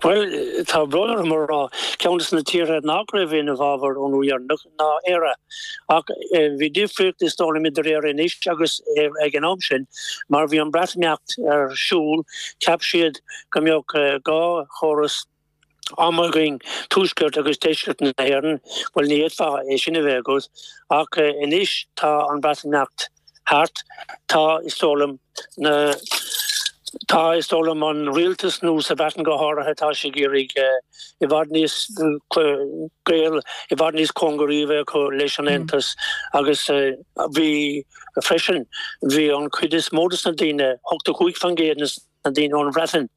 Speaker 17: Bhuel, tá brón orm a rá, ceann de na tíortha nach raibh ina bhfabhar ón uair dheireanach ná Éire. Ach bhí difríocht is dóigh liom idir Éire anois agus ag an am sin, mar bhí an Breatimeacht ar siúl, cheap siad go mbeadh 2 chóras ama againn, tuaisceart agus deisceart na hÉireann. Bhuel, ní fhéadfá é sin a bheith agat. Ach anois tá an Breatimeacht thart, tá, is dóigh liom, na, tá, is dóigh liom, an rialtas nua sa Bhreatain go háirithe, tá sé ag iarraidh i bhfad níos gaol i bhfad níos cóngaraí a bheith acu leis an Aontas agus bhí freisin, bhí an chuid is mó de na daoine, 85% de na daoine ón Bhreatain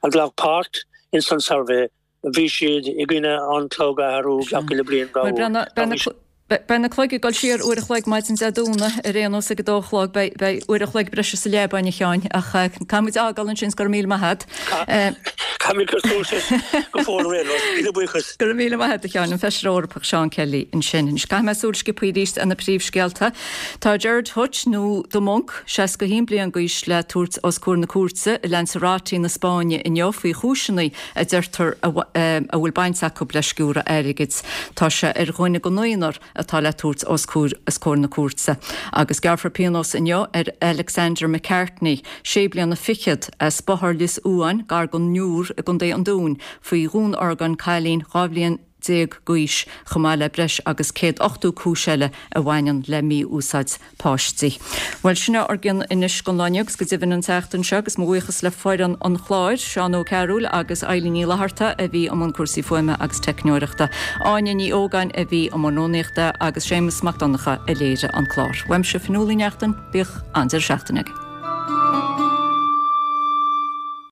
Speaker 17: a ghlac páirt ins an suirbhé, bhí siad i gcoinne an clog a athrú gach uile bliain 2 uair.
Speaker 1: Beidh na cloig ag dul siar uair a chloig maidin Dé Domhnaigh ar aon nós ag a dó a chlog. Beidh uair a chloig breise sa leaba againn a Sheáin ach caithfidh muid a fhágáil ansin 's go raibh míle maith agat.
Speaker 17: Caithfidh muid cur suas leis go fóill ar aon nós. Míle buíochas.
Speaker 1: Go raibh míle maith agat a Sheáin, an Feisire Eorpach Seán Kelly ansin. Anois caithfidh mé súil sciobtha arís ar na príomhscéalta. Tá Gerard Hutch nó The Monk, 61 bliain d'aois le tabhairt os comhair na cúirte i Lanzarote na Spáinne inniu faoi chúiseanna a deirtear a bhfuil baint acu le sciúradh airgid. Tá sé ar dhuine den naonúr atá le tabhairt os comhair na cúirte. Agus gearrfar pionós inniu ar Alexander McCartney, sé bliana fichead, as Bothar Lios Uain, gar don Iúr i gContae an Dúin, faoi dhúnorgain cailín 12 bhliain d'aois, chomh maith le breis agus 180 cúis eile a bhaineann le mí-úsáid páistí. Bhuel, sin é ár gcion anois don lá inniu agus go deimhin an tseachtain seo agus mo bhuíochas le foireann an chláir, Seán Ó Cearúil agus Eilín Ní Fhlatharta a bhí i mbun cúrsaí fuaime agus teicneoireachta, Áine Ní Ógáin a bhí i mbun rúnaíochta agus Séamus Mac Donncha a léirigh an clár. Uaimse Fionnuala Ní Neachtain, bíodh an-deireadh seachtaine agaibh.